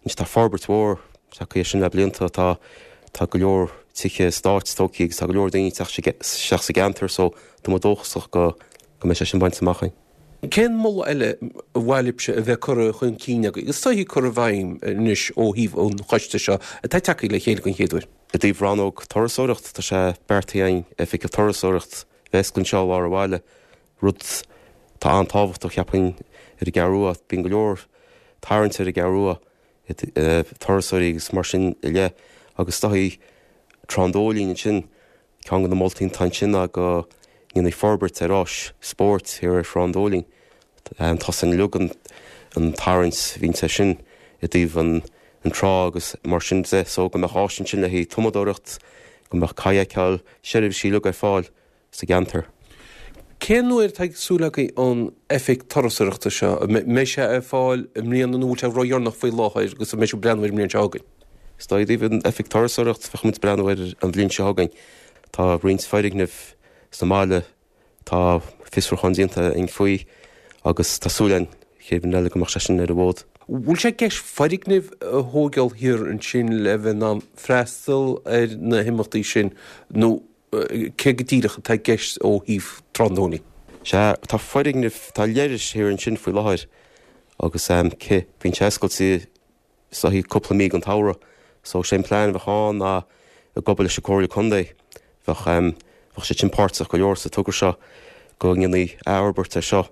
Anois tá forbairt mhór tagtha air sin le blianta. Tá tá go leor tithe eastáit tógtha agus tá go leor daoine ag teacht isteach sa gceantar so tá muid dóchasach go go mbeidh sé sin bainte amach againn. Cén moladh eile ba mhaith libhse a bheith curtha chun cinn agaibh agus is dóichí curtha i bhfeidhm anois ó thaobh an choiste seo atá tagtha le chéile den chéad uair? I dtaobh rannóg turasóireacht, tá sé beartaithe againn oifig turasóireacht a bheith oscailte anseo i lár an bhaile, rud atá an-tábhachtach, cheapfainn, ar an gCeathrú Rua. Bíonn go leor tarraingt ar an gCeathrú Rua, turasóirí agus mar sin i leith, agus is dóichí Trá an Dóilín ansin, ceann de na moltaí atá ansin ná go ndéanfaí forbairt ar áis spóirt thiar ar Thrá an Dóilín. Tá san uilig an tarraingt a bhíonns air sin i dtaobh an trá agus mar sin de so go mbeadh áis ansin le haghaidh tumadóireacht, go mbeadh kayakáil, seirbhísí uilig ar fáil sa gceantar. Cén uair atá súil agaibh an oifig turasóireachta seo? An mbeidh sé ar fáil i mbliana nó bhfuil sé ródheireanach faoi láthair agus an mbeidh sibh ag breathnú air an mbliain seo chugainn? Is dóigh i dtaobh an oifig turasóireacht bheadh muid ag breathnú air an bhliain seo chugainn. Tá roinnt foirgneamh sa mbaile Tá fiosrúchán déanta againn faoi agus tá súil againn chéad bhliain eile go mbeadh sé sin ar an bhfód. Bhfuil sé i gceist foirgnimh a thóigeáil thiar ansin le bheith in ann freastal ar na himeachtaí sin nó cé go díreach atá i gceist ó thaobh Trá an Dóilín? Sea, tá foirgnimh, tá leithris thiar ansin faoi láthair agus cé, bíonn sé oscailte is dóichí cúpla mí den tsamhradh. So sé an plean a bheadh ann ná ag obair leis an Comhairle Contae, bheadh bheadh siad sin páirteach go leor sa togra seo go ndéanfaí athfhorbairt ar seo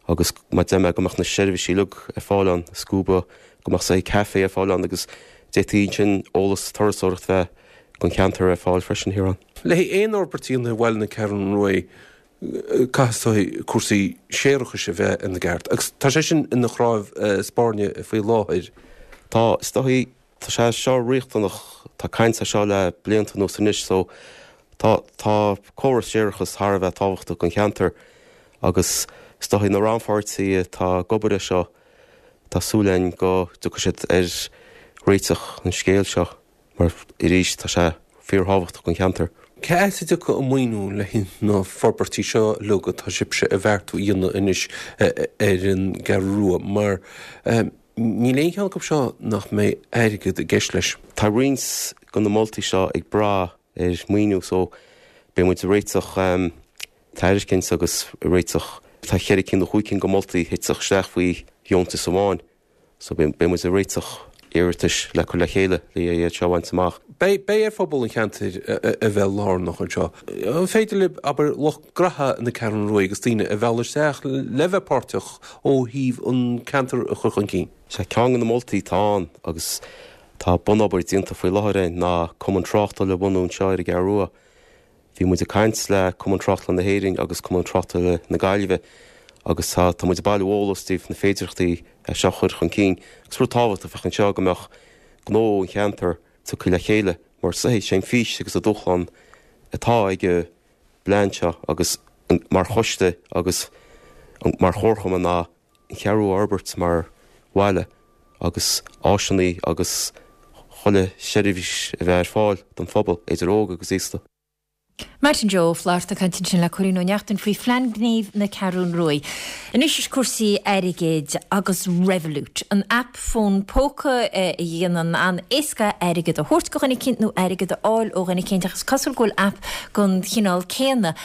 agus mar a deir mé go mbeadh na seirbhísí uilig ar fáil ann, scuba, go mbeadh saghas caife ar fáil ann agus d'fhéadfaí ansin eolas turasóireacht bheith don cheantar ar fáil freisin thiar ann. Le haghaidh aon fhorbairt a dhéanamh i bhaile na Ceathrún Ruaidh, caithfidh cúrsaí séarachais a bheith ina gceart agus tá sé sin ina chnámh spairne faoi láthair. Tá, is dóichí, tá sé seo riachtanach, tá caint ar seo le blianta anuas anois so tá, tá córas séarachais thar a bheith tábhachtach don cheantar agus is dóichí na rannpháirtithe atá ag obair ar seo, tá súil againn go dtiocfaidh siad ar réiteach an scéil seo. Mar arís, tá sé fíorthábhachtach don cheantar. Cé as a dtiocfaidh an maoiniú le haghaidh na forbairtí seo uilig atá sibhse ag beartú a dhéanamh anois ar an gCeathrú Rua? Mar níl aon cheann acu seo nach mbeidh airgead i gceist leis. Tá roinnt de na moltaí seo ag brath ar mhaoiniú so beidh muid ag réiteach tairiscint agus ag réiteach, tá cheithre cinn nó chúig cinn de mholtaí a thitfeadh isteach faoi dheontas amháin. So beidh muid ag réiteach iarratais le cur le chéile le iad seo a bhaint amach. Beidh ar phobal an cheantair a bheith lárnach anseo. An féidir libh, abair, lucht graithe na Ceathrún Ruaidh agus daoine a mhealladh isteach le bheith páirteach ó thaobh an ceantar a chur chun cinn? Sea, ceann de na moltaí atá ann agus tá bunobair déanta faoi láthair againn ná cumann tráchtála a bhunú anseo ar an gCeathrú Rua. Bhí muid ag caint le Cumann Tráchtála na hÉireann agus Cumann Tráchtála na Gaillimhe agus tá tá muid ag bailiú eolas i dtaobh na féidearthachtaí é seo a chur chun cinn agus rud tábhachtach a bheadh anseo go mbeadh gnó an cheantair tugtha le chéile mar is é an fís agus an dúshlán atá ag an bplean seo agus mar choiste agus mar chomharchumann ná an Cheathrú a fhorbairt mar bhaile agus áiseanna agus chuile sheirbhís a bheith ar fáil don phobal, idir óg agus aosta. Martin Joe Ó Flatharta ag caint ansin le Cóilín Ó Neachtain faoi Phlean Gnímh na Ceathrún Ruaidh. Anois is cúrsaí airgid agus Revolut, an aip fón póca a dhéanann an-éasca airgead a thabhairt go dhuine eicínt nó airgead a fháil ó dhuine eicínt ach is cosúil go bhfuil aip den chineál céanna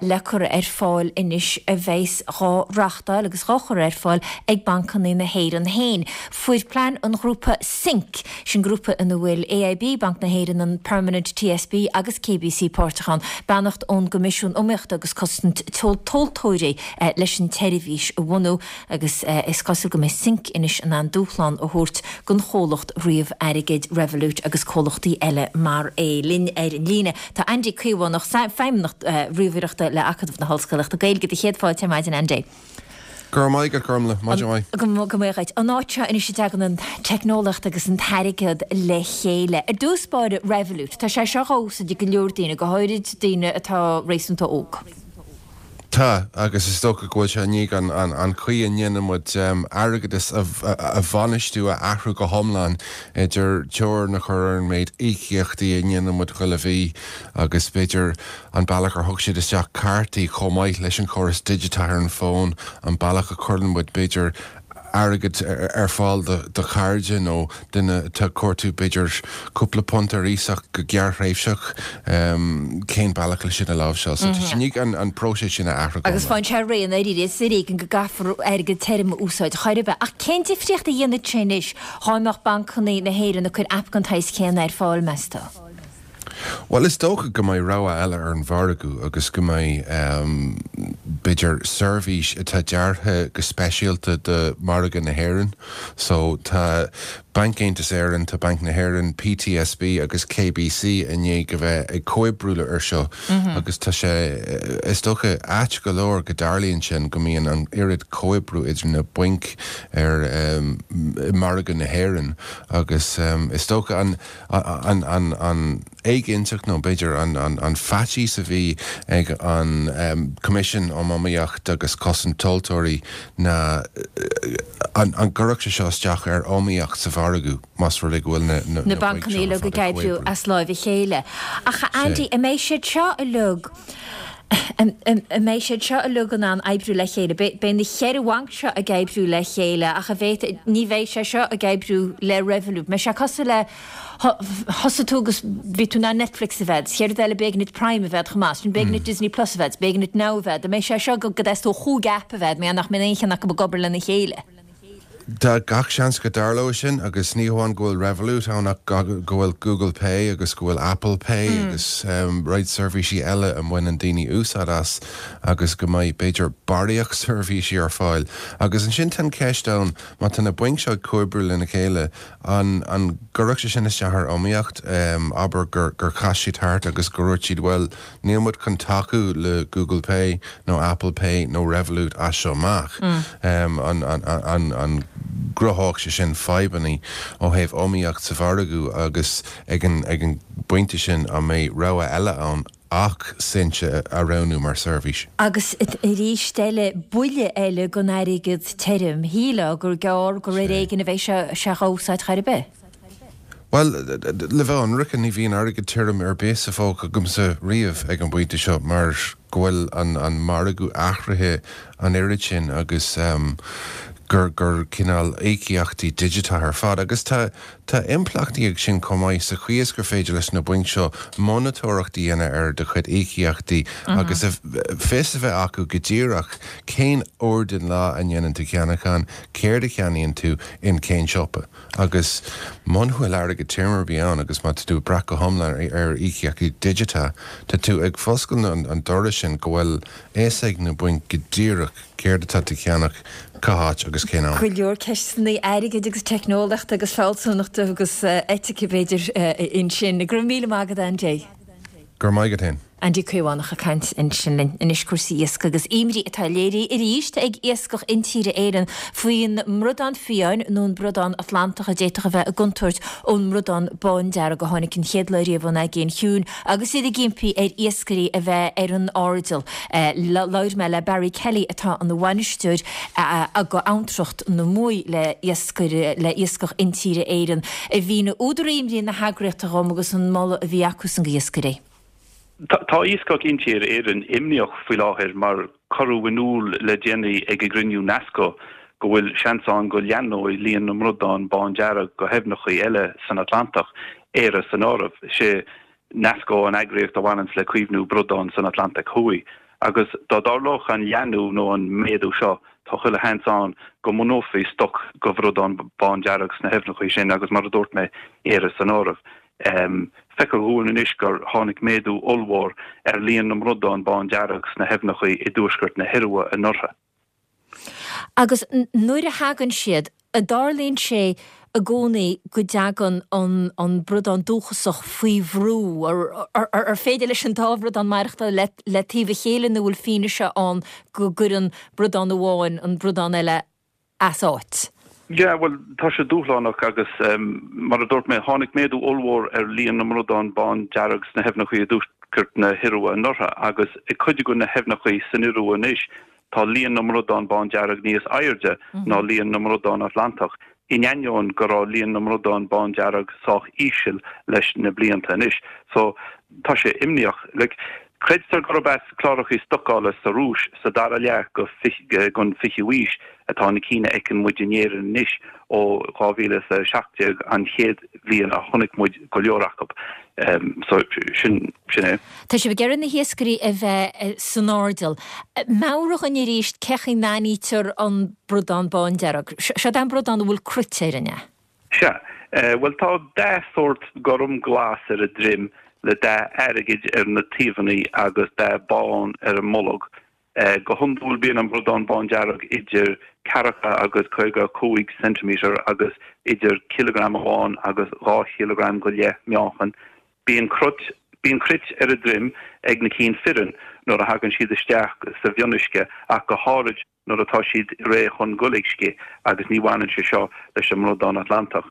le cur ar fáil anois a bheas dhá reáchtáil agus dhá chur ar fáil ag bancanna na hÉireann féin. Fuair plean an ghrúpa Sync, sin grúpa ina bhfuil AIB, Banc na hÉireann, an Permanent TSB agus KBC páirteach ann, beannacht ón gCoimisiún Iomaíochta agus Cosaint Tomhaltóirí leis an tseirbhís a bhunú agus is cosúil go mbeidh Sync anois in ann dúshlán a thabhairt don chomhlacht ríomh-airgid Revolut agus comhlachtaí eile mar é. Linn ar an líne tá Andy Caomhánach, Feidhmeannach Ríomhaireachta le Acadamh na hOllscolaíochta Gaeilge. Do chéad fáilte ar maidin, Andy. Go raibh maith agat, Gormlaith. Maidin mhaith. Go mbeidh dhuit. An áit seo anois a dtagann an teicneolaíocht agus an t-airgead le chéile. Ar dtús báire, Revolut. Tá sé seo dhá úsáid ag go leor daoine, go háirid daoine atá réasúnta óg. Tá, agus is dócha go bhfuil sé i ndiaidh an chaoi a ndéanann muid airgeadas a bhainistiú a athrú go hiomlán, idir teorainn a chur ar an méid íocaíochtaí a ndéanann muid chuile mhí agus b'fhéidir an bealach ar thug siad isteach cártaí chomh maith leis an chóras digiteach ar an bhfón, an bealach a chuireann muid b'fhéidir airgead ar fáil do chairde nó duine atá ag cuartú b'fhéidir cúpla punt ar iasacht go gearrthréimhseach, cén bealach le sin a láimhseáil. So tá sé i ndiaidh an próiseas sin a athrú go Agus faigheann sé réidh i ndáiríre, is ar éigean go gcaithfear airgead tirim a úsáid chor ar bith. Ach cén difríocht a dhéanfadh sé anois dhá mbeadh bancanna na hÉireann ag cur aip den tsaghas céanna ar fáil, meas tú? Bhuel, is dócha go mbeidh rogha eile ar an mhargadh agus go mbeidh, b'fhéidir, seirbhís atá deartha go speisialta do mhargadh na hÉireann. So, tá Banc Aontas Éireann, tá Banc na hÉireann, PTSB agus KBC i ndiaidh a bheith ag comhoibriú air seo agus tá sé, is dócha, ait go leor go dtarlaíonn sin, go mbíonn an oiread comhoibriú idir na bainc ar, i margadh na hÉireann agus is dócha an, an éiginnteacht nó b'fhéidir an faitíos a bhí ag an Coimisiún um Iomaíocht agus Cosaint Tomhaltóirí ná an gcuirfeadh sé seo isteach ar iomaíocht sa mhargadh más rud é go bhfuil na na bancanna uilig ag oibriú as láimh a chéile. Ach a Andy, an mbeidh siad seo uilig, an mbeidh siad seo uilig in ann oibriú le chéile? Beidh na cheithre bhanc seo ag oibriú le chéile ach an bhféadfadh, ní bheidh sé seo ag oibriú le Revolut. Mbeidh sé cosúil le, thosaigh tú agus bhí tú in ann Netflix a bheith, sa chéad rud eile b'éigean duit Prime a bheith chomh maith, ansin b'éigean duit Disney Plus a bheith, b'éigean duit Now a bheith. An mbeidh sé seo go dteastódh chúig aip a bheith, mar nach mbeidh aon cheann acu ag obair lena chéile? Tá gach seans go dtarlóidh sin agus ní hamháin go bhfuil Revolut ann ach go bhfuil Google Pay agus go bhfuil Apple Pay agus roinnt seirbhísí eile a mbaineann daoine úsáid as agus go mbeidh, b'fhéidir, barraíocht seirbhísí ar fáil. Agus ansin tá an cheist ann, má tá na bainc seo ag comhoibriú lena chéile, an an gcuirfeadh sé sin isteach ar iomaíocht? Abair gur gur chas siad thart agus gur dhúirt siad, bhuel, Níl muid chun tacú le Google Pay nó Apple Pay nó Revolut as seo amach. An gcruthódh sé sin fadhbanna ó thaobh iomaíocht sa mhargadh agus ag an bpointe sin an mbeidh rogha eile ann ach Sinch a roghnú mar seirbhís? Agus arís eile, buille eile don airgead tirim. Shílfeá gur gearr gur ar éigean a bheidh sé á úsáid chor ar bith. Bhuel, le bheith ionraic, ní bhíonn airgead tirim ar bith sa phóca agamsa riamh ag an bpointe seo mar go bhfuil an margadh athraithe an oiread sin agus gur gur cineál íocaíochtaí digiteacha ar fad. Agus tá tá impleachtaí ag sin chomh maith sa chaoi is gur féidir leis na bainc seo monatóireacht a dhéanamh ar do chuid íocaíochtaí agus fios a bheith acu go díreach cén uair den lá a ndéanann tú ceannachán, céard a cheannaíonn tú, in cén siopa. Agus muna bhfuil airgead tirim ar bith ann agus má tá tú ag brath go hiomlán ar íocaíochtaí digiteacha, tá tú ag foscailt an doras sin go bhfuil fhios ag na bainc go díreach céard atá tú a cheannach, cá háit agus cén am. Go leor ceisteanna airgid agus teicneolaíochta agus fealsúnachta agus eitice b'fhéidir ansin. Go raibh míle maith agat Andy. Go raibh maith agat fhéin. Andy Caomhánach ag caint ansin linn. Anois cúrsaí iascaigh agus imní atá léirithe arís ag Iascach Intíre Éireann faoin mbradán fiáin nó an bradán Atlantach a d'fhéadfadh a bheith i gcontúirt ón mbradán bándearg a tháinig an chéad lá riamh ón Aigéan Chiúin agus iad ag impí ar iascairí a bheith ar an airdeall. Labhair mé le Barry Kelly atá ina bhainisteoir ag Abhantracht na Muaidhe le le Iascach Intíre Éireann a mhínigh údar imní na heagraíochta dhom agus an moladh a bhí acusan go iascairí. Tá Iascach Intíre Éireann imníoch faoi láthair mar cuireadh in iúl le déanaí ag an gcruinniú Nasco go bhfuil seans ann go leathnóidh líon na mbradán bándearg go haibhneacha eile san Atlantach, Éire san áireamh. Sé Nasco an eagraíocht a bhaineanns le caomhnú bradán san Atlantach Thuaidh agus dá dtarlódh an leathnú nó an méadú seo tá chuile sheans ann go mbunófaí stoc go bhradán bándearg sna haibhneacha sin agus mar a dúirt mé, Éire san áireamh. Feictear dhúinn anois gur tháinig méadú ollmhór ar líon na mbradán bándearg sna haibhneacha i dtuaisceart na hIorua anuraidh. Agus nuair a thagann siad, an dtarlaíonn sé i gcónaí go dtagann an bradán dúchasach faoi bhrú? Ar féidir leis an dá bhradán maireachtáil le taobh a chéile nó bhfuil fianaise ann go gcuireann bradán amháin an bradán eile as áit? Yeah, bhuel, tá sé dúshlánach agus mar a dúirt mé, tháinig méadú ollmhór ar líon na mbradán bándearg sna haibhneacha i dtuaisceart na hIorua anuraidh agus i cuid de na haibhneacha san Iorua anois tá líon na mbradán bándearg níos airde ná líon na mbradán Atlantach, in ainneoin go raibh líon na mbradán bándearg sách íseal leis na blianta anois. So, tá sé imníoch. Like, Creidtear gurb as clárachaí stocála sa Rúis sa dara leath den 20ú aois atá na cinn a fheiceann muid in Éirinn anois, ó 2017 an chéad bhliain a chonaic muid go leor acu. So, sin é. Tá sibh ag iarraidh na hiascairí a bheith san airdeall. Meabhraigh dhúinn arís cén chaoi a n-aithnítear an bradán bándearg. Seo é an bradán a bhfuil cruit air, an ea? Sea. Bhuel, tá dath sórt gorm glas ar a droim. le dath airgid ar na taobhanna agus dath bán ar an mbolg. Go hiondúil bíonn an bradán bándearg idir ceathracha agus 55 ceintiméadar agus idir cileagram amháin agus 2 chileagram go leith meáchain. Bíonn cruit bíonn cruit ar a droim ag na cinn fireann nuair a thagann siad isteach sa mhionuisce ach go háirid nuair atá siad réidh chun goil ag scith agus ní bhaineann sé seo leis an mbradán Atlantach.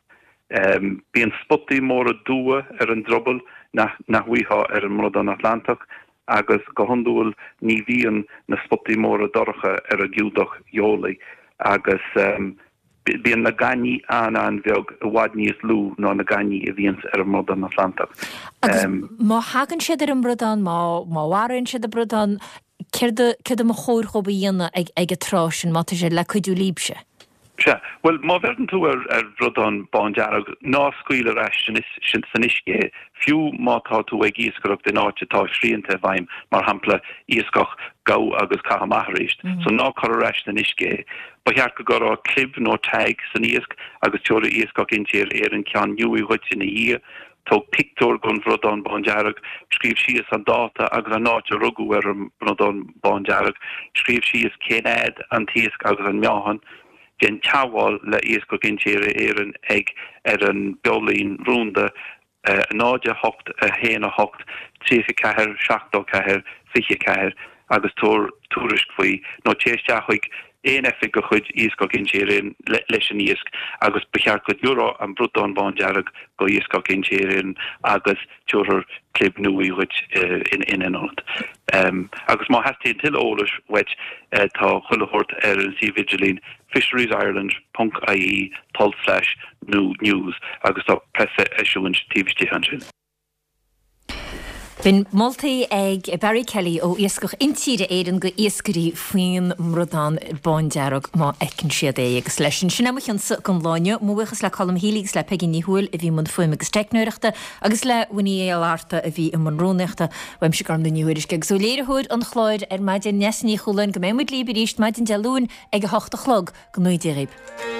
Bíonn spotaí móra dubha ar an druball nach nach bhfaighfeá ar an mbradán Atlantach agus go hiondúil ní bhíonn na spotaí móra dorcha ar an gcumhdach gheolaigh agus bíonn na gainní an-an-bheag, i bhfad níos lú ná na gainní a bhíonns ar an mbradán Atlantach. Agus má thagann siad ar an mbradán, má mharaíonn siad an bradán, Céard a, céard a mba chóir dhóibh a dhéanamh ag, ag an tráth sin, má tá sé le cuidiú libhse? Sea. Bhuel, má bheireann tú ar, ar bhradán bándearg, ná scaoil ar ais san, san uisce é, fiú má tá tú ag iascaireacht in áit atá srianta i bhfeidhm, mar shampla, iascach gabh agus caith amach arís. So ná cuir ar ais san uisce é. Ba cheart go gcuirfeá clib nó tag san iasc agus tabharfaidh Iascach Intíre Éireann ceann nua dhuit ina dhiaidh. Tóg pictiúr den bhradán bándearg, scríobh síos an dáta agus an áit a rugadh ar an mbradán bándearg, scríobh síos cén fhad an t-iasc agus an meáchan, déan teagmháil le Iascach Intíre Éireann ag ar an bheolíne rúnda 0 8 1 8 34 74 24 agus tabhair tuairisc faoi nó téigh isteach chuig aon oifig de chuid Iascach Intíre Éireann leis an iasc agus ba cheart go dtabharfá an bradán bándearg go Iascach Intíre Éireann agus tabharfar clib nua dhuit ina ionad. Agus má theastaíonn tuilleadh eolais uait tá chuile shórt ar an suíomh idirlín fisheriesireland ponc ie tulslais nó news agus tá preaseisiúint taobh istigh ansin. B'in moltaí ag Barry Kelly ó Iascach Intíre Éireann go iascairí faoin mbradán bándearg má fheiceann siad é. Agus leis sin, sin é mo chionsa don lá inniu. Mo bhuíochas le Colm Healy agus le Peigí Ní Thuathail a bhí i mbun fuaime agus teicneoireachta agus le Winnie Uí Fhlatharta a bhí i mbun rúnaíochta. Uaimse Gormlaith Ní Thuairisg agus ó léiritheoir an chláir ar maidin, Neasa Ní Chualáin, go mbeidh muid libh arís maidin Dé Luain ag a hocht a chlog. Go ngnóthaí Dia dhaoibh.